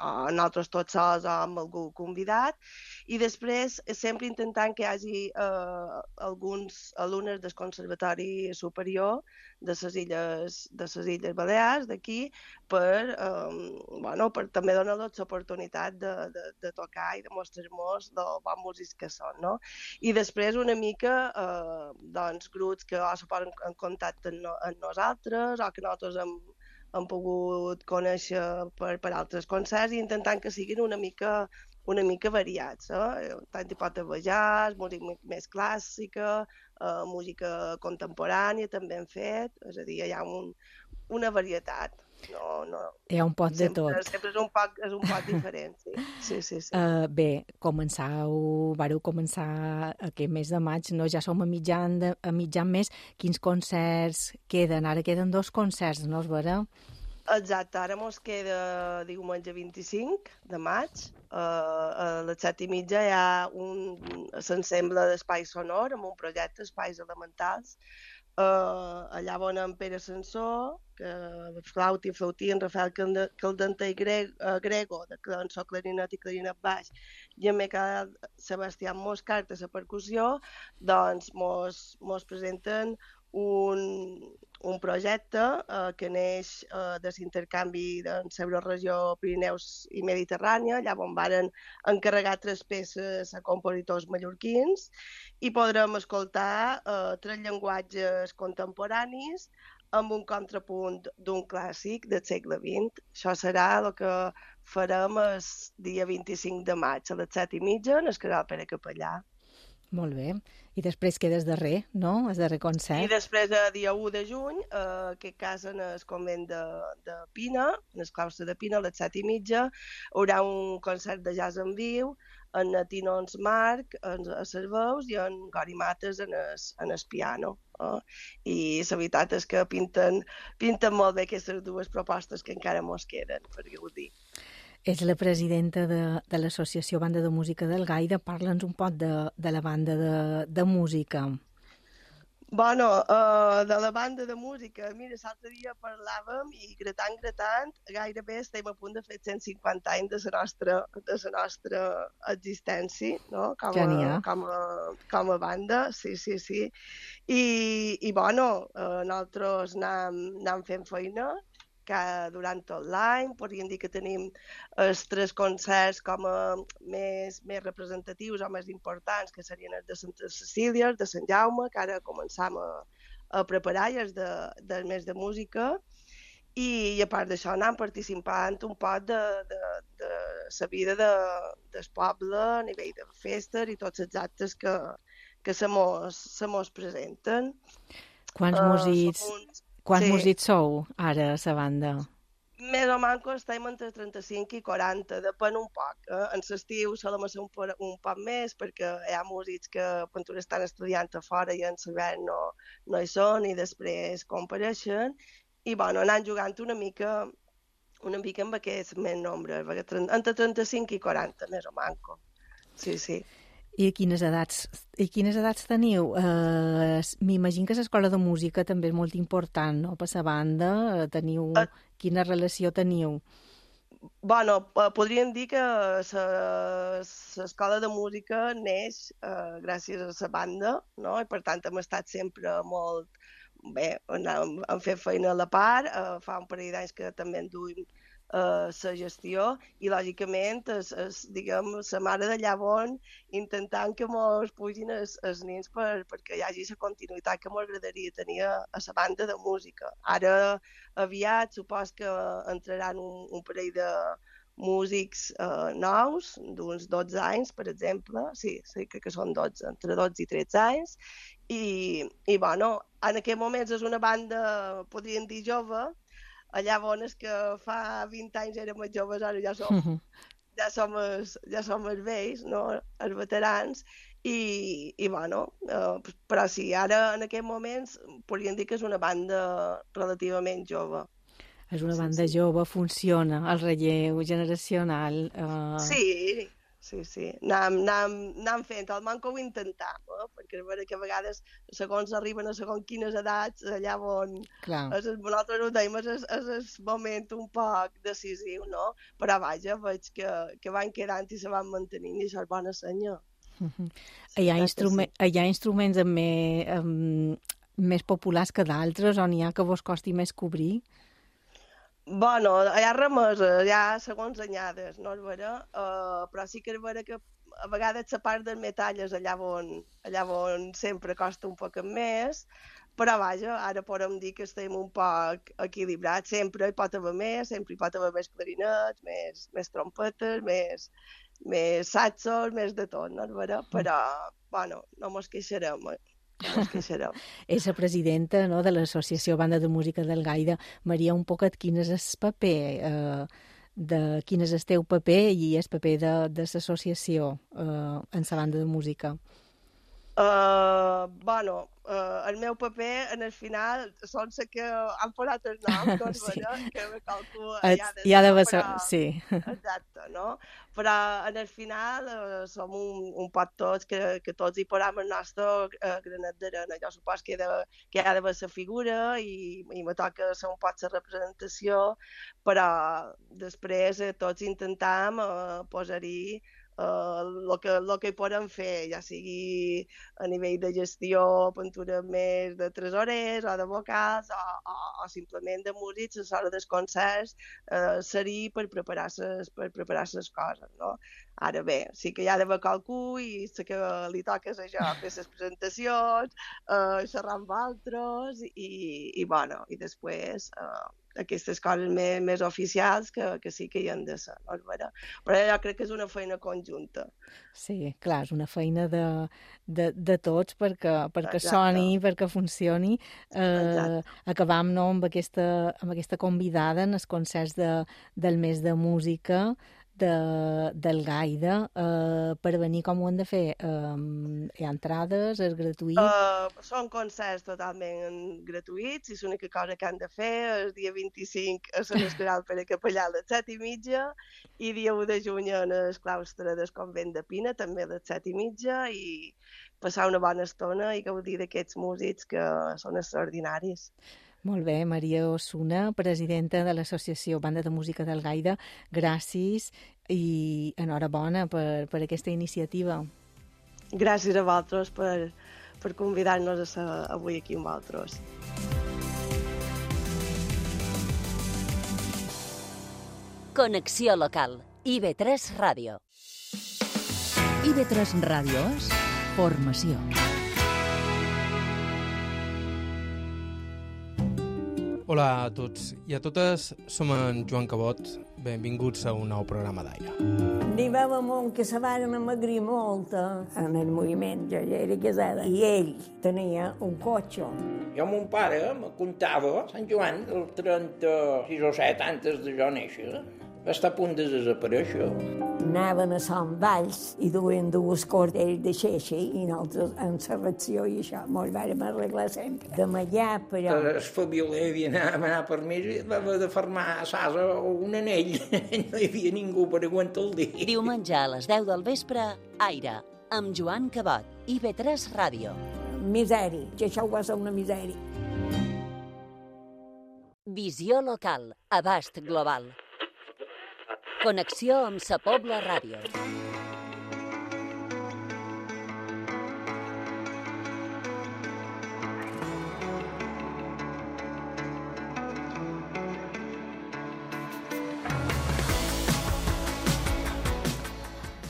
nosaltres tots sols o amb algú convidat, i després sempre intentant que hi hagi eh, alguns alumnes del Conservatori Superior de les Illes, de les Illes Balears, d'aquí, per, eh, bueno, per també donar-los l'oportunitat de, de, de tocar i de mostrar-nos els bons músics que són, no? I després una mica eh, doncs, grups que o se posen en contacte amb, no, amb nosaltres o que nosaltres hem hem pogut conèixer per, per altres concerts i intentant que siguin una mica, una mica variats. Eh? Tant hi pot haver jazz, música més clàssica, eh, música contemporània també hem fet, és a dir, hi ha un, una varietat. No, no. Hi ha un pot sempre, de tot. Sempre és un poc, és un poc diferent, sí. sí, sí, sí. Uh, bé, començau, vareu començar aquest mes de maig, no? Ja som a mitjan, de, a mitjan mes. Quins concerts queden? Ara queden dos concerts, no és vera? Exacte, ara mos queda diumenge vint-i-cinc de maig. Uh, a les set i mitja hi ha un s'ensemble d'espai sonor amb un projecte Espais Elementals. Uh, allà on en Pere Sansó, que flauta i flautí, en Rafael Caldenter i Greg, uh, Grego, de cançó clarinet i clarinet baix, i en Miquel Sebastián Moscart a la percussió, doncs mos, mos presenten un, un projecte uh, que neix uh, de l'intercanvi de la regió Pirineus i Mediterrània, allà on varen encarregar tres peces a compositors mallorquins i podrem escoltar uh, tres llenguatges contemporanis amb un contrapunt d'un clàssic del segle vint. Això serà el que farem el dia vint-i-cinc de maig a les set i mitja en el Casal Pere Capellà. Molt bé. I després quedes darrer, no? El darrer concert. I després, el dia u de juny, eh, aquest cas en el convent de, de Pina, en el claustre de Pina, a les set i mitja, hi haurà un concert de jazz en viu, en Tinons Marc, en, a les veus, i en Gori Mates en el, en el piano. Eh? I la veritat és que pinten, pinten molt bé aquestes dues propostes que encara mos queden, per gaudir. És la presidenta de, de l'Associació Banda de Música del Gaire. Parla'ns un poc de, de la banda de, de música. Bueno, uh, de la banda de música, mira, l'altre dia parlàvem i gratant, gratant, gairebé estem a punt de fer cent cinquanta anys de la nostra, de la nostra existència, no? Com a, com a, com a banda, sí, sí, sí. I, i bueno, uh, nosaltres anem, anem fent feina, que durant tot l'any, podríem dir que tenim els tres concerts com a més, més representatius o més importants, que serien els de Santa Cecília, de Sant Jaume, que ara començam a, a preparar, i els de, del mes de música, i, i a part d'això anem participant un poc de, de, de la vida de, del poble a nivell de festes i tots els actes que, que se mos, se mos presenten. Quants uh, músics... Uns... Quants sí. músics sou ara a la banda? Més o menys estem entre trenta-cinc i quaranta, depèn un poc. Eh? En l'estiu solem ser un, un poc més perquè hi ha músics que quan estan estudiant a fora i en l'hivern no, no hi són i després compareixen. I bueno, anant jugant una mica, una mica amb aquest més nombre, entre trenta-cinc i quaranta, més o menys. Sí, sí. I quines edats, i quines edats teniu? Uh, M'imagino que l'escola de música també és molt important, no?, per la banda. Teniu... Uh, quina relació teniu? Bueno, podríem dir que l'escola de música neix uh, gràcies a la banda, no? I per tant hem estat sempre molt... Bé, hem, hem fet feina a la part, uh, fa un parell d'anys que també en duim la uh, gestió i, lògicament, es, es, diguem, la mare de llavors intentant que mos pugin els, els nens per, perquè hi hagi la continuïtat que m'agradaria tenir a, a la banda de música. Ara, aviat, supos que entraran un, un parell de músics eh, nous, d'uns dotze anys, per exemple, sí, sí, crec que són dotze, entre dotze i tretze anys, i, i bueno, en aquest moments és una banda, podríem dir, jove, llavors que fa vint anys érem els joves, ara ja som, uh-huh. ja som, els, ja som els vells, no? Els veterans, i, i bueno, eh, però sí, ara en aquests moments podríem dir que és una banda relativament jove. És una banda sí, sí. jove, funciona, el relleu generacional... Eh... Sí, sí, sí. Anem, anem, anem fent, almenys que ho intentem, eh? Perquè és vera que a vegades, segons arriben a segons quines edats, allà on... És, nosaltres ho dèiem, és, és el moment un poc decisiu, no? Però vaja, veig que, que van quedant i se van mantenint i això és bona senya. Uh-huh. Hi, ha instrument, sí. hi ha instruments amb més, amb, més populars que d'altres, on hi ha que vos costi més cobrir? Bueno, hi ha remeses, hi ha segons anyades, no és vera? Uh, però sí que és vera que a vegades la part del metall és allà on, allà on sempre costa un poc més, però vaja, ara podem dir que estem un poc equilibrats, sempre hi pot haver més, sempre hi pot haver més clarinets, més, més trompetes, més, més saxos, més de tot, no és vera? Però, bueno, no mos queixarem, eh? És la presidenta, no, de l'Associació Banda de Música d'Algaida. Maria, un poquet, quin és el paper, eh, de, quin és el teu paper i el paper de, de l'associació eh, en la banda de música? Uh, bueno, uh, el meu paper, en el final, són la que han posat el nom, doncs, sí. Vera, que me calculo... Et, ja ha d'haver... Però... Sí. Exacte, no? Però, en el final, uh, som un, un pot tots, que, que tots hi posam el nostre uh, granet d'arena. Jo supos que, de, que hi ha d'haver la figura i, i me toca ser un pot la representació, però després eh, tots intentam uh, posar-hi el uh, que, lo que hi podem fer, ja sigui a nivell de gestió, pintura més de tresorers o de vocals o, o, o simplement de músics a l'hora dels concerts, uh, seria per preparar les per preparar les coses, no? Ara bé, sí que hi ha d'haver qualcú i sé que li toca això, fer les presentacions, uh, xerrar amb altres i, i bueno, i després uh, aquestes coses més, més oficials que, que sí que hi han de ser, no és vera? Però jo crec que és una feina conjunta. Sí, clar, és una feina de, de, de tots perquè, perquè soni, perquè funcioni. Eh, acabam, no, amb, aquesta, amb aquesta convidada en els concerts de, del mes de música de, del Gaida, eh, per venir com ho han de fer? Eh, hi ha entrades? És gratuït? Uh, són concerts totalment gratuïts i l'única cosa que han de fer el dia vint-i-cinc a Sant Escaral per a Capellà a les set i mitja i dia u de juny en el claustre del convent de Pina també a les set i mitja i passar una bona estona i gaudir d'aquests músics que són extraordinaris. Molt bé, Maria Osuna, presidenta de l'Associació Banda de Música d'Algaida, gràcies i enhorabona per, per aquesta iniciativa. Gràcies a vosaltres per, per convidar-nos a ser avui aquí amb vosaltres. Connexió local. I ve tres Ràdio. I ve tres Ràdio és formació. Hola a tots i a totes, som en Joan Cabot, benvinguts a un nou programa d'aire. N'hi va un que se van amagrir molt en el moviment, jo ja era casada, i ell tenia un cotxe. Jo, mon pare, me contava, Sant Joan, el trenta-sis o set, antes de jo néixer, va estar a punt de desaparèixer. Anaven a Sant Valls i duien dues cordells de xeixa i nosaltres en la reacció i això mos vàrem arreglar sempre. De allà, però... El família havia d'anar per mi i va haver de fermar a Sasa un anell. No hi havia ningú per aguantar el dia. Diumenge a les deu del vespre, Aire, amb Joan Cabot, I ve tres Ràdio. Misèria, que això va ser una misèria. Visió local, abast global. Connexió amb Sa Pobla Ràdio.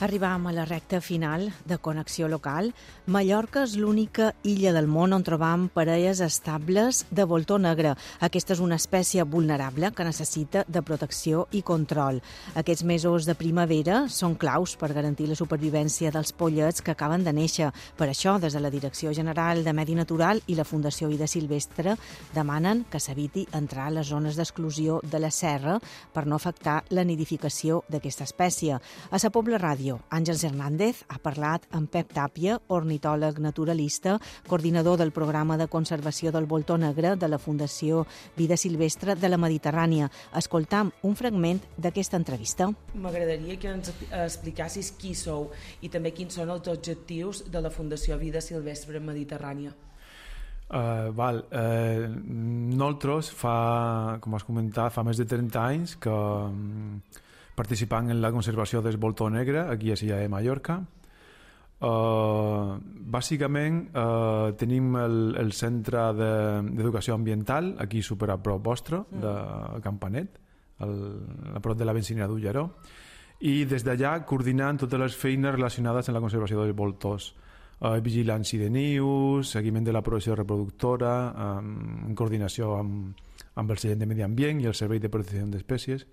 Arribam a la recta final de Connexió Local. Mallorca és l'única illa del món on trobam parelles estables de voltor negre. Aquesta és una espècie vulnerable que necessita de protecció i control. Aquests mesos de primavera són claus per garantir la supervivència dels pollets que acaben de néixer. Per això, des de la Direcció General de Medi Natural i la Fundació Vida Silvestre demanen que s'eviti entrar a les zones d'exclusió de la serra per no afectar la nidificació d'aquesta espècie. A Sa Pobla Ràdio, Àngels Hernández ha parlat amb Pep Tàpia, ornitòleg naturalista, coordinador del programa de conservació del voltor negre de la Fundació Vida Silvestre de la Mediterrània. Escoltam un fragment d'aquesta entrevista. M'agradaria que ens explicassis qui sou i també quins són els objectius de la Fundació Vida Silvestre Mediterrània. Uh, val. Uh, nosaltres fa, com has comentat, fa més de trenta anys que um, participant en la conservació del voltor negre aquí a l'illa de Mallorca. Uh, bàsicament uh, tenim el, el centre d'educació ambiental aquí super a prop vostre, mm. de Campanet, el, a prop de la benzinera d'Ulleró, i des d'allà coordinant totes les feines relacionades amb la conservació dels voltors. Uh, vigilància de nius, seguiment de la producció reproductora, um, en coordinació amb, amb el Servei de Medi Ambient i el Servei de Protecció d'Espècies,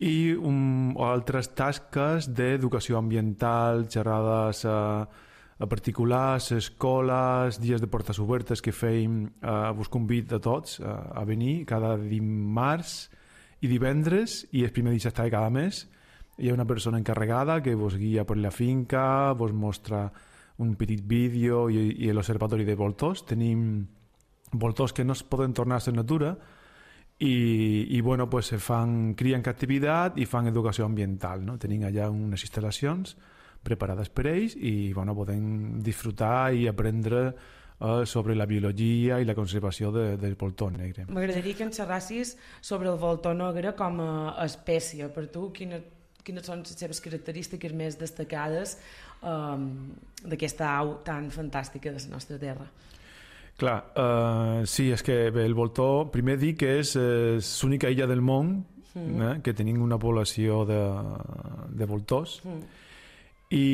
i um, altres tasques d'educació ambiental, xerrades a, a particulars, escoles, dies de portes obertes que fèiem. Uh, vos convido a tots uh, a venir cada dimarts i divendres i el primer dissabte de cada mes. Hi ha una persona encarregada que vos guia per la finca, vos mostra un petit vídeo i, i l'observatori de voltors. Tenim voltors que no es poden tornar a la natura i, i bueno, pues, se fan cria en captivitat i fan educació ambiental, no? Tenim allà unes instal·lacions preparades per ells i bueno, podem disfrutar i aprendre eh, sobre la biologia i la conservació de, del voltor negre. M'agradaria que ens xerrassis sobre el voltor negre com a espècie. Per tu, quina, quines són les seves característiques més destacades um, d'aquesta au tan fantàstica de la nostra terra? Clar, uh, sí, és que bé, el voltor, primer dic que és eh, l'única illa del món mm. eh, que tenim una població de, de voltors mm. i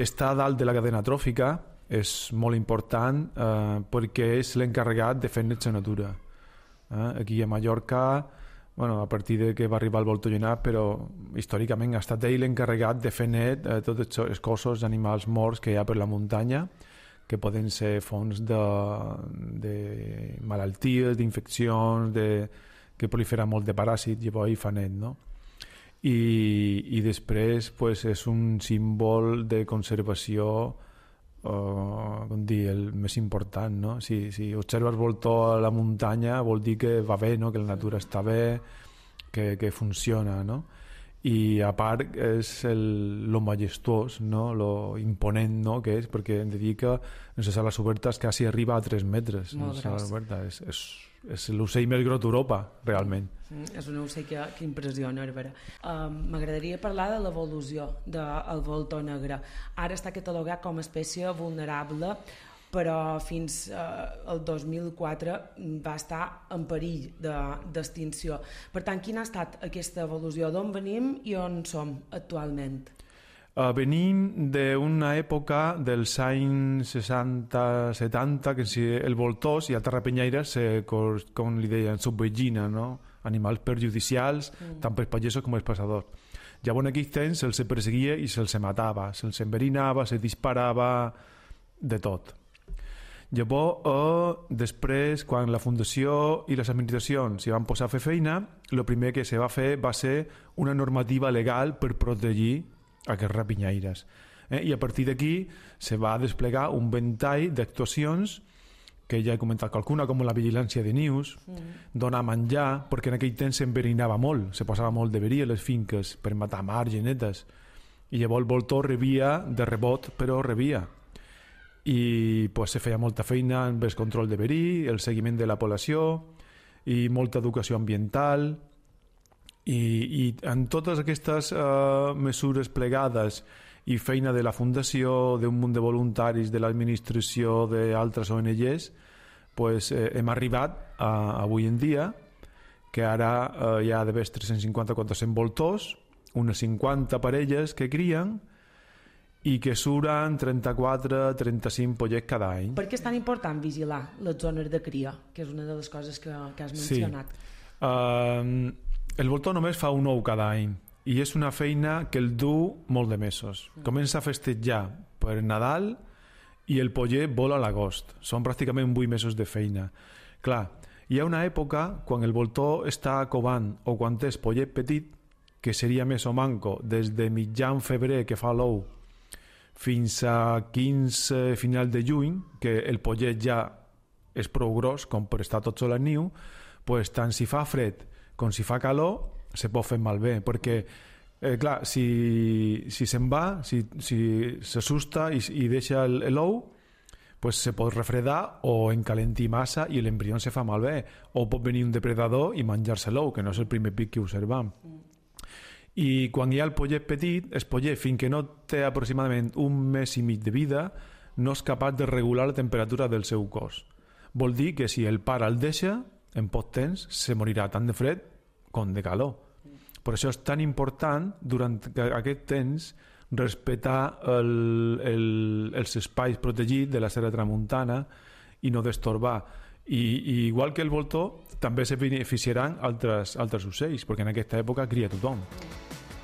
està dalt de la cadena tròfica, és molt important eh, perquè és l'encarregat de fer net la natura. Eh? Aquí a Mallorca, bueno, a partir de que va arribar el voltor llenat, però històricament ha estat ell l'encarregat de fer net eh, tots els cossos, animals morts que hi ha per la muntanya, que poden ser fonts de, de malalties, d'infeccions, de, que prolifera molt de paràsits, llavors hi fa net, no? I, i després pues, és un símbol de conservació, uh, com dir, el més important, no? Si, si observes voltor a la muntanya vol dir que va bé, no? Que la natura està bé, que, que funciona, no? I a part és el, lo majestuós, no? Lo imponent, no? Que és, perquè hem de dir que en les sales obertes quasi arriba a tres metres. Molt gros. És, és, és l'ocell més gros d'Europa, realment. Mm, és un ocell que, que impressiona, Herbera. Uh, M'agradaria parlar de l'evolució del voltor negre. Ara està catalogat com a espècie vulnerable, però fins eh, al dos mil quatre va estar en perill d'extinció. Per tant, quina ha estat aquesta evolució? D'on venim i on som actualment? Uh, venim d'una època dels anys seixanta setanta, que si el voltors i altres rapenyaires, eh, com, com li deien, subvegina, no? Animals perjudicials, mm. tant pels pagesos com els passadors. Llavors en aquells temps se'ls perseguia i se'ls matava, se'ls enverinava, se disparava, de tot. Llavors, eh, després, quan la Fundació i les administracions s'hi van posar a fer feina, el primer que se va fer va ser una normativa legal per protegir aquests rapinyaires. Eh? I a partir d'aquí se va desplegar un ventall d'actuacions que ja he comentat qualcuna, com la vigilància de nius, mm. donar menjar, perquè en aquell temps s'enverinava molt, se posava molt de verí a les finques per matar mars, genetes, i llavors el voltor rebia de rebot, però rebia. I pues, se feia molta feina amb el control de verí, el seguiment de la població i molta educació ambiental i, i en totes aquestes uh, mesures plegades i feina de la Fundació, d'un munt de voluntaris, de l'administració, d'altres O N Ges, pues, eh, hem arribat a, avui en dia que ara eh, hi ha d'haver tres-cents cinquanta a quatre-cents voltors, unes cinquanta parelles que crien i que suren trenta-quatre a trenta-cinc pollets cada any. Per què és tan important vigilar les zones de cria, que és una de les coses que, que has mencionat? Sí. Uh, el voltor només fa un ou cada any i és una feina que el du molt de mesos. Comença a festejar per Nadal i el pollet vola a l'agost. Són pràcticament vuit mesos de feina. Clar, hi ha una època quan el voltor està covant o quan és pollet petit, que seria més o manco des de mitjan febrer que fa l'ou fins a quinze final de juny, que el pollet ja és prou gros com per estar tot sol al niu, pues, tant si fa fred com si fa calor se pot fer malbé, perquè eh, clar, si, si se'n va, si, si s'assusta i, i deixa l'ou, pues se pot refredar o encalentir massa i l'embrió se fa malbé, o pot venir un depredador i menjar-se l'ou, que no és el primer pic que observam. I quan hi ha el pollet petit, el pollet, fins que no té aproximadament un mes i mig de vida, no és capaç de regular la temperatura del seu cos. Vol dir que si el pare el deixa, en poc temps se morirà tant de fred com de calor. Per això és tan important, durant aquest temps, respectar el, el, els espais protegits de la serra tramuntana i no destorbar. I, i igual que el voltor, també se beneficiaran altres, altres ocells, perquè en aquesta època cria tothom.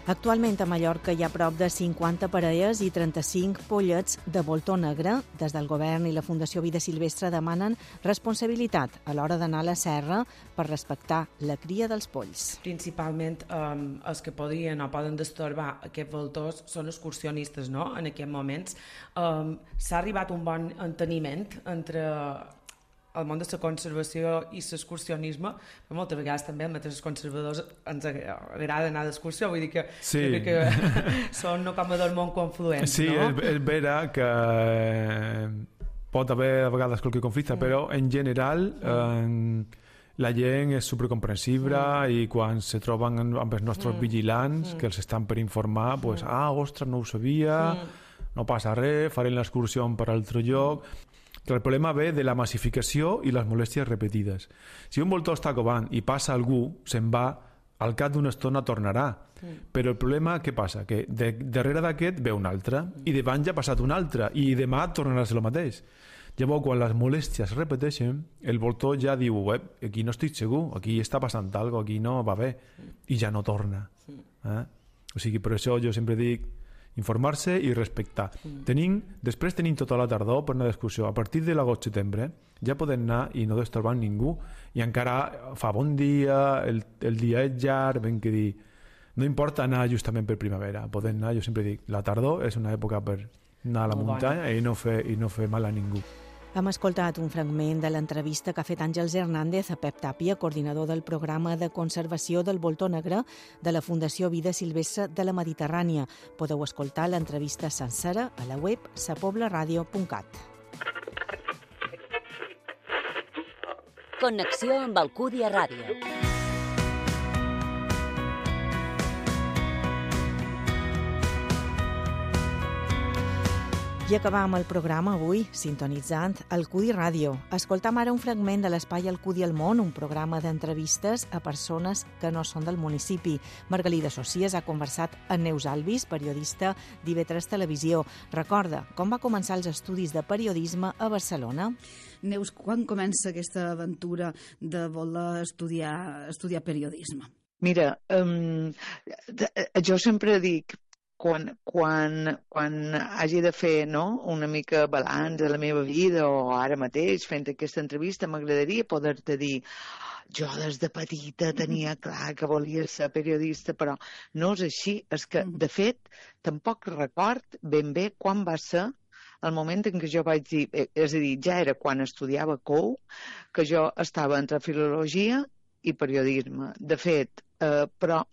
Actualment a Mallorca hi ha prop de cinquanta parelles i trenta-cinc pollets de voltor negre. Des del govern i la Fundació Vida Silvestre demanen responsabilitat a l'hora d'anar a la serra per respectar la cria dels polls. Principalment um, els que podrien o poden destorbar aquests voltors són excursionistes, no?, en aquests moments. Um, s'ha arribat a un bon enteniment entre el món de la conservació i l'excursionisme, però moltes vegades també els mateixos conservadors ens agrada anar d'excursió, vull dir que, sí. que, que són no com dos món confluents, sí, no? Sí, és, és vera que pot haver a vegades qualque conflicte, mm. però en general eh, la gent és supercomprensible mm. i quan se troben amb els nostres mm. vigilants, mm. que els estan per informar, pues, ah, ostres, no ho sabia, mm. no passa res, farem l'excursió per altre lloc. Que el problema ve de la massificació i les molèsties repetides. Si un voltor està covant i passa algú, se'n va, al cap d'una estona tornarà. Mm. Però el problema, què passa? Que de, darrere d'aquest ve un altre, mm. i davant ja ha passat un altre, i demà tornarà a ser el mateix. Llavors, quan les molèsties es repeteixen, el voltor ja diu, eh, aquí no estic segur, aquí està passant alguna cosa, aquí no va bé, i ja no torna. Eh? O sigui, per això jo sempre dic informar-se i respectar. Mm. Tenim, després tenim tota la tardor per anar d'excursió. A partir de l'agost-setembre ja podem anar i no destorbar ningú. I encara fa bon dia, el, el dia és llarg, ben que dir, no importa anar justament per primavera. Podem anar, jo sempre dic, la tardor és una època per anar a la Molt muntanya bona. i no fer, i no fer mal a ningú. Hem escoltat un fragment de l'entrevista que ha fet Àngels Hernández a Pep Tàpia, coordinador del programa de conservació del voltor negre de la Fundació Vida Silvestre de la Mediterrània. Podeu escoltar l'entrevista sencera a la web sa pobla ràdio punt cat. Connexió amb Alcúdia Ràdio. I acabam el programa avui sintonitzant Alcudi Ràdio. Escoltam ara un fragment de l'espai Alcudi al món, un programa d'entrevistes a persones que no són del municipi. Margalida Socies ha conversat amb Neus Alvis, periodista d'I V tres Televisió. Recorda com va començar els estudis de periodisme a Barcelona. Neus, quan comença aquesta aventura de voler estudiar, estudiar periodisme? Mira, um, jo sempre dic, Quan, quan, quan hagi de fer, no, una mica balanç de la meva vida o ara mateix fent aquesta entrevista, m'agradaria poder-te dir jo des de petita tenia clar que volia ser periodista, però no és així. És que, de fet, tampoc record ben bé quan va ser el moment en què jo vaig dir, és a dir, ja era quan estudiava C O U, que jo estava entre filologia i periodisme. De fet, Uh, però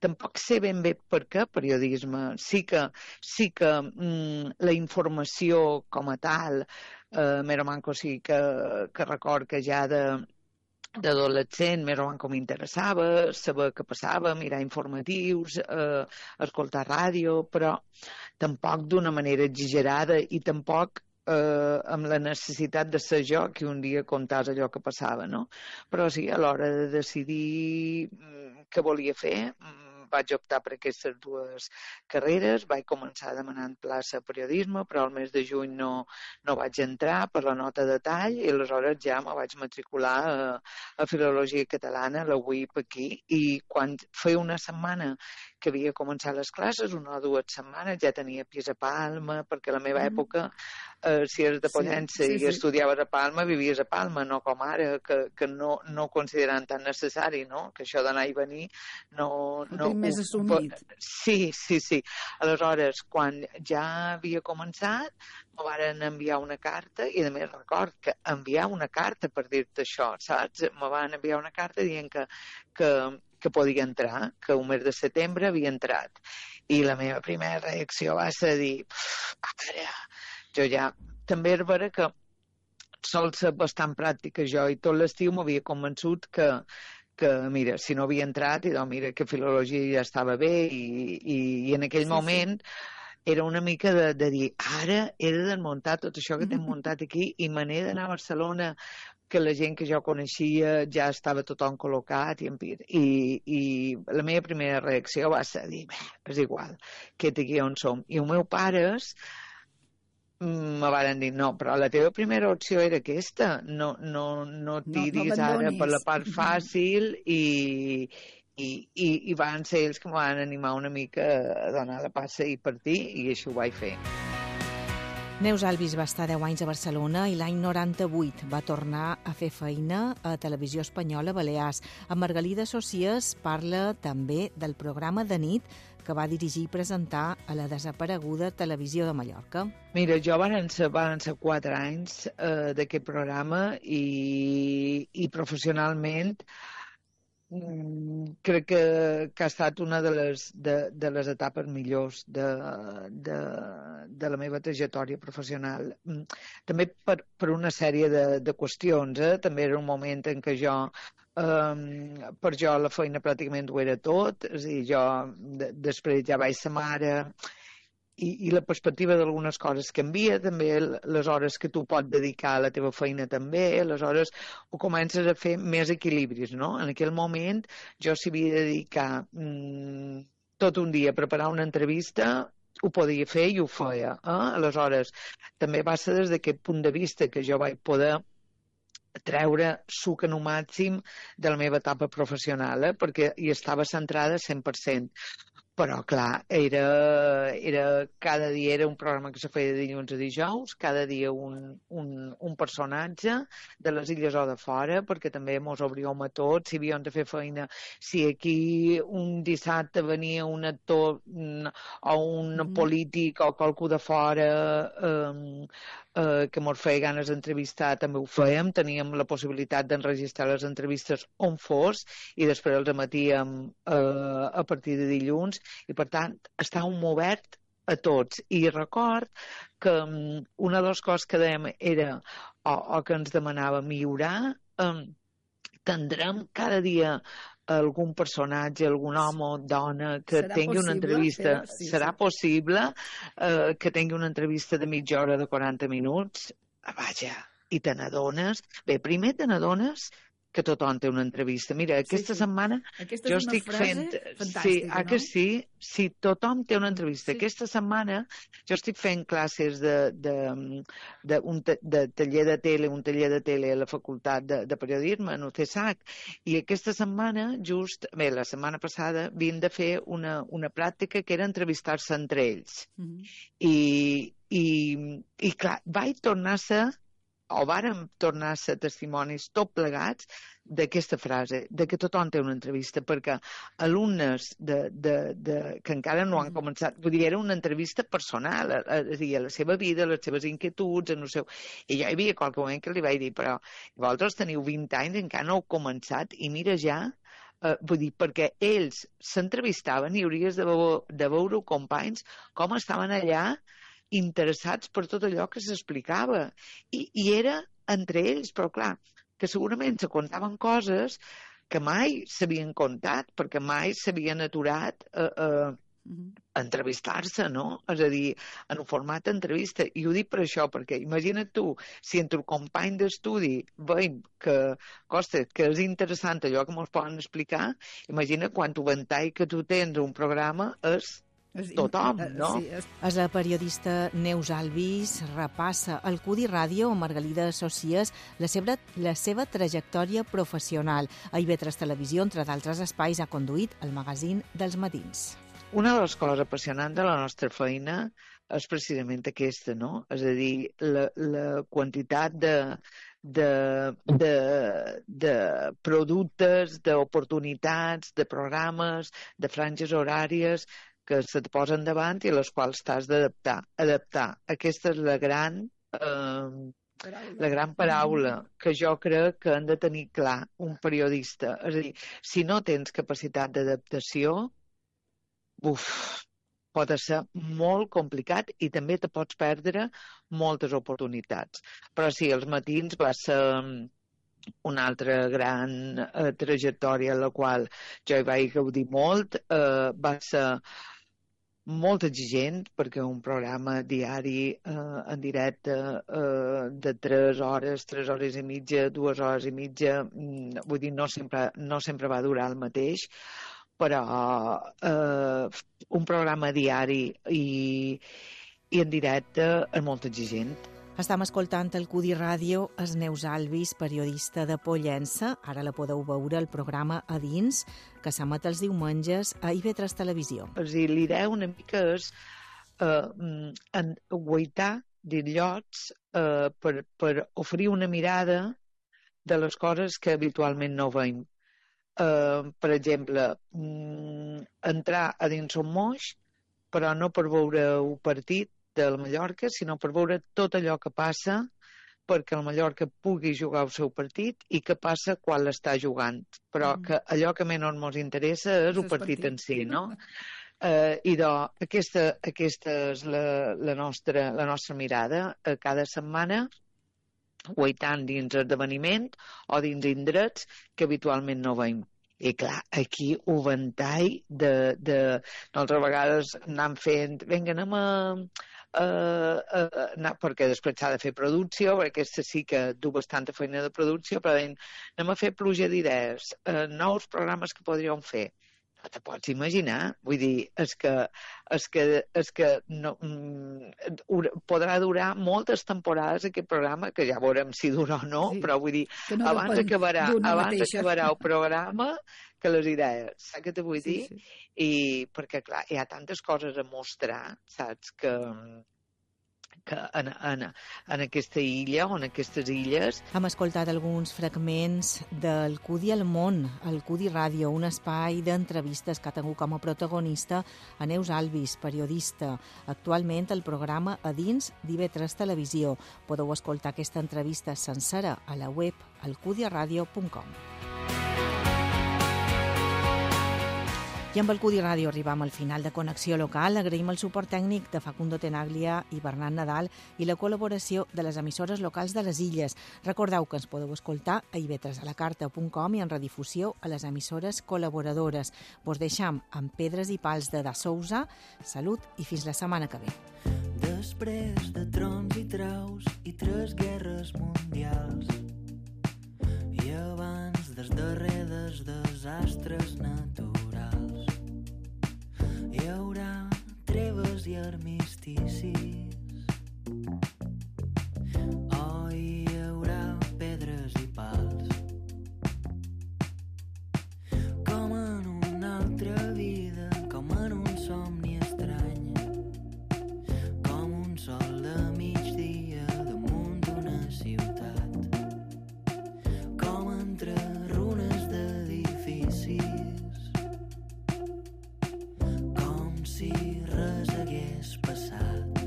tampoc sé ben bé per què periodisme. Sí que, sí que mm, la informació com a tal, uh, més o menys, o sigui, que, que record que ja de d'adolescent més o menys com m'interessava, saber què passava, mirar informatius, eh, escoltar ràdio, però tampoc d'una manera exagerada i tampoc eh, amb la necessitat de ser jo que un dia contàs allò que passava, no? Però sí, a l'hora de decidir què volia fer, vaig optar per aquestes dues carreres, vaig començar demanant plaça a periodisme, però al mes de juny no, no vaig entrar per la nota de tall i aleshores ja me vaig matricular a, a Filologia Catalana, la U I P aquí, i quan feia una setmana que havia començat les classes, una o dues setmanes, ja tenia pis a Palma, perquè a la meva època, eh, si eres de Pollença sí, sí, i sí. estudiaves a Palma, vivies a Palma, no com ara, que, que no, no consideren tan necessari, no? Que això d'anar i venir no... no més assumit. Sí, sí, sí. Aleshores, quan ja havia començat, me van enviar una carta, i a més record que enviar una carta per dir-te això, saps? Me van enviar una carta dient que, que, que podia entrar, que un mes de setembre havia entrat. I la meva primera reacció va ser dir, ara, jo ja... També és vera que sol ser bastant pràctica jo, i tot l'estiu m'havia convençut que, que, mira, si no havia entrat, i doncs, mira, que filologia ja estava bé, i, i, i en aquell sí, moment... Sí. Era una mica de, de dir, ara he de desmuntar tot això que t'hem muntat aquí i me n'he d'anar a Barcelona, que la gent que jo coneixia ja estava tothom col·locat i, i, i la meva primera reacció va ser dir, bé, és igual, que aquí on som. I els meus pares me van dir, no, però la teva primera opció era aquesta, no, no, no tiris no, no ara per la part fàcil i... I, i, i van ser ells que em van animar una mica a donar la passa i partir, i això ho vaig fer. Neus Alvis va estar deu anys a Barcelona i l'any noranta-vuit va tornar a fer feina a Televisió Espanyola Balears. Amb Margalida Socias parla també del programa de nit que va dirigir i presentar a la desapareguda Televisió de Mallorca. Mira, jo van ser, van ser quatre anys eh, d'aquest programa i, i professionalment crec que, que ha estat una de les, de, de les etapes millors de, de, de la meva trajectòria professional. També per, per una sèrie de, de qüestions. Eh? També era un moment en què jo, eh, per jo la feina pràcticament ho era tot. És a dir, jo de, després ja vaig ser mare, I, i la perspectiva d'algunes coses canvia, també les hores que tu pots dedicar a la teva feina també, aleshores ho comences a fer més equilibris, no? En aquell moment jo s'hi havia de dedicar mmm, tot un dia a preparar una entrevista, ho podia fer i ho feia. Eh? Aleshores, també va ser des d'aquest punt de vista que jo vaig poder treure suc en un màxim de la meva etapa professional, eh? Perquè hi estava centrada cent per cent. Però, clar, era, era, cada dia era un programa que se feia de dilluns a dijous, cada dia un, un, un personatge de les illes o de fora, perquè també mos obríem a tots, si havíem de fer feina, si aquí un dissabte venia un actor o un mm. polític o qualcú de fora eh, eh, que mos feia ganes d'entrevistar, també ho fèiem, teníem la possibilitat d'enregistrar les entrevistes on fos i després els emetíem eh, a partir de dilluns, i per tant estàvem obert a tots. I record que um, una de les coses que dèiem era, o, o que ens demanava millorar, um, tindrem cada dia algun personatge, algun home o dona que serà tingui possible, una entrevista, però, sí, serà sí. possible uh, que tingui una entrevista de mitja hora, de quaranta minuts, vaja, i te n'adones, bé, primer te n'adones que tothom té una entrevista. Mira, aquesta sí, sí. setmana aquesta jo estic fent... Sí, ah, no? que sí, sí, tothom té una entrevista. Sí. Aquesta setmana jo estic fent classes de, de, de, un de, de taller de tele, un taller de tele a la facultat de, de periodisme, en U C S A C, i aquesta setmana, just, bé, la setmana passada, havien de fer una, una pràctica que era entrevistar-se entre ells. Mm-hmm. I, i, i clar, vaig tornar a ser o vàrem tornar a ser testimonis tot plegats d'aquesta frase, de que tothom té una entrevista, perquè alumnes de, de, de, que encara no han començat, vull dir, era una entrevista personal, a, a, a la seva vida, les seves inquietuds, en el seu... I jo hi havia qualque moment que li vaig dir, però vosaltres teniu vint anys, encara no heu començat, i mira ja, eh, vull dir, perquè ells s'entrevistaven i hauries de, veure, de veure companys com estaven allà interessats per tot allò que s'explicava. I, I era entre ells, però clar, que segurament se contaven coses que mai s'havien contat, perquè mai s'havien aturat a, a, entrevistar-se, no? És a dir, en un format d'entrevista. I ho dic per això, perquè imagina't tu, si entre el company d'estudi veiem que, costa, que és interessant allò que ens poden explicar, imagina quant ventall que tu tens un programa és tothom, no? Sí, és... és la periodista Neus Albis repassa al Cudi Ràdio amb Margalida Socies la seva, la seva trajectòria professional. A I V tres Televisió, entre d'altres espais, ha conduït el magazín dels matins. Una de les coses apassionants de la nostra feina és precisament aquesta, no? És a dir, la, la quantitat de, de, de, de productes, d'oportunitats, de programes, de franges horàries que se't posen davant i a les quals t'has d'adaptar. Adaptar. Aquesta és la gran, eh, la gran paraula que jo crec que han de tenir clar un periodista. És a dir, si no tens capacitat d'adaptació, uf, pot ser molt complicat i també te pots perdre moltes oportunitats. Però sí, els matins va ser una altra gran eh, trajectòria en la qual jo hi vaig gaudir molt. Eh, va ser molt exigent perquè un programa diari eh, en directe eh, de tres hores, tres hores i mitja, dues hores i mitja, mm, vull dir, no sempre, no sempre va durar el mateix, però eh, un programa diari i, i en directe és molt exigent. Estem escoltant el Cudi Ràdio, és Neus Albis, periodista de Pollença. Ara la podeu veure al programa A Dins, que s'emet els diumenges a I V tres Televisió. És a dir, l'idea una mica és eh, guaitar d'illots eh, per, per oferir una mirada de les coses que habitualment no veiem. Eh, per exemple, mm, entrar a dins un moix, però no per veure un partit del Mallorca, sinó per veure tot allò que passa perquè el Mallorca pugui jugar el seu partit i què passa quan l'està jugant. Però mm. que allò que menys ens interessa és el partit, partit en si, no? Uh, I doncs, aquesta, aquesta és la, la, nostra, la nostra mirada uh, cada setmana, guaitant dins esdeveniment o dins indrets que habitualment no veiem. I clar, aquí un ventall de, de... Nosaltres a vegades anem fent... Vinga, anem a... Uh, uh, no, perquè després s'ha de fer producció, perquè aquesta sí que du bastanta feina de producció, però deien, anem a fer pluja d'idees, uh, nous programes que podríem fer. No te pots imaginar, vull dir, és que, és que, és que no, mm, podrà durar moltes temporades aquest programa, que ja veurem si dura o no, sí, però vull dir, no abans, acabarà, abans acabarà el programa que les idees, saps què te vull dir? Sí, sí. I perquè, clar, hi ha tantes coses a mostrar, saps, que, que en, en, en aquesta illa o en aquestes illes... Hem escoltat alguns fragments del Cudi al món, el Cudi Ràdio, un espai d'entrevistes que ha tingut com a protagonista a Neus Albis, periodista. Actualment el programa A Dins d'I V tres Televisió. Podeu escoltar aquesta entrevista sencera a la web alcudiaradio punt com. I amb el Cudi Ràdio arribam al final de Connexió Local. Agraïm el suport tècnic de Facundo Tenaglia i Bernat Nadal i la col·laboració de les emissores locals de les illes. Recordeu que ens podeu escoltar a i ve tres a la carta punt com i en redifusió a les emissores col·laboradores. Vos deixam amb Pedres i Pals de Da Sousa. Salut i fins la setmana que ve. Després de trons i traus i tres guerres mundials i abans dels darrers desastres naturals hi haurà treves i armisticis. Oh, hi haurà pedres i pals. Com en una altra vida, com en un somni estrany. Com un sol de migdia damunt d'una ciutat. Com entre runes d'edificis. Si res hagués passat.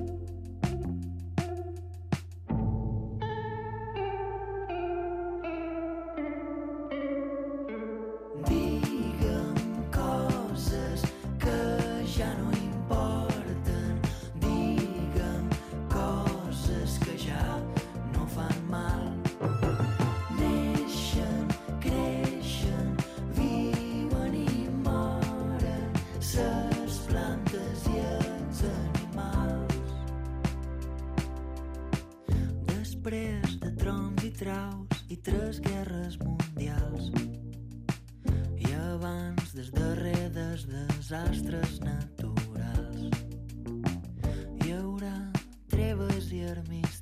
després de trons i traus i tres guerres mundials. I abans dels darrers desastres naturals. Hi haurà treves i armis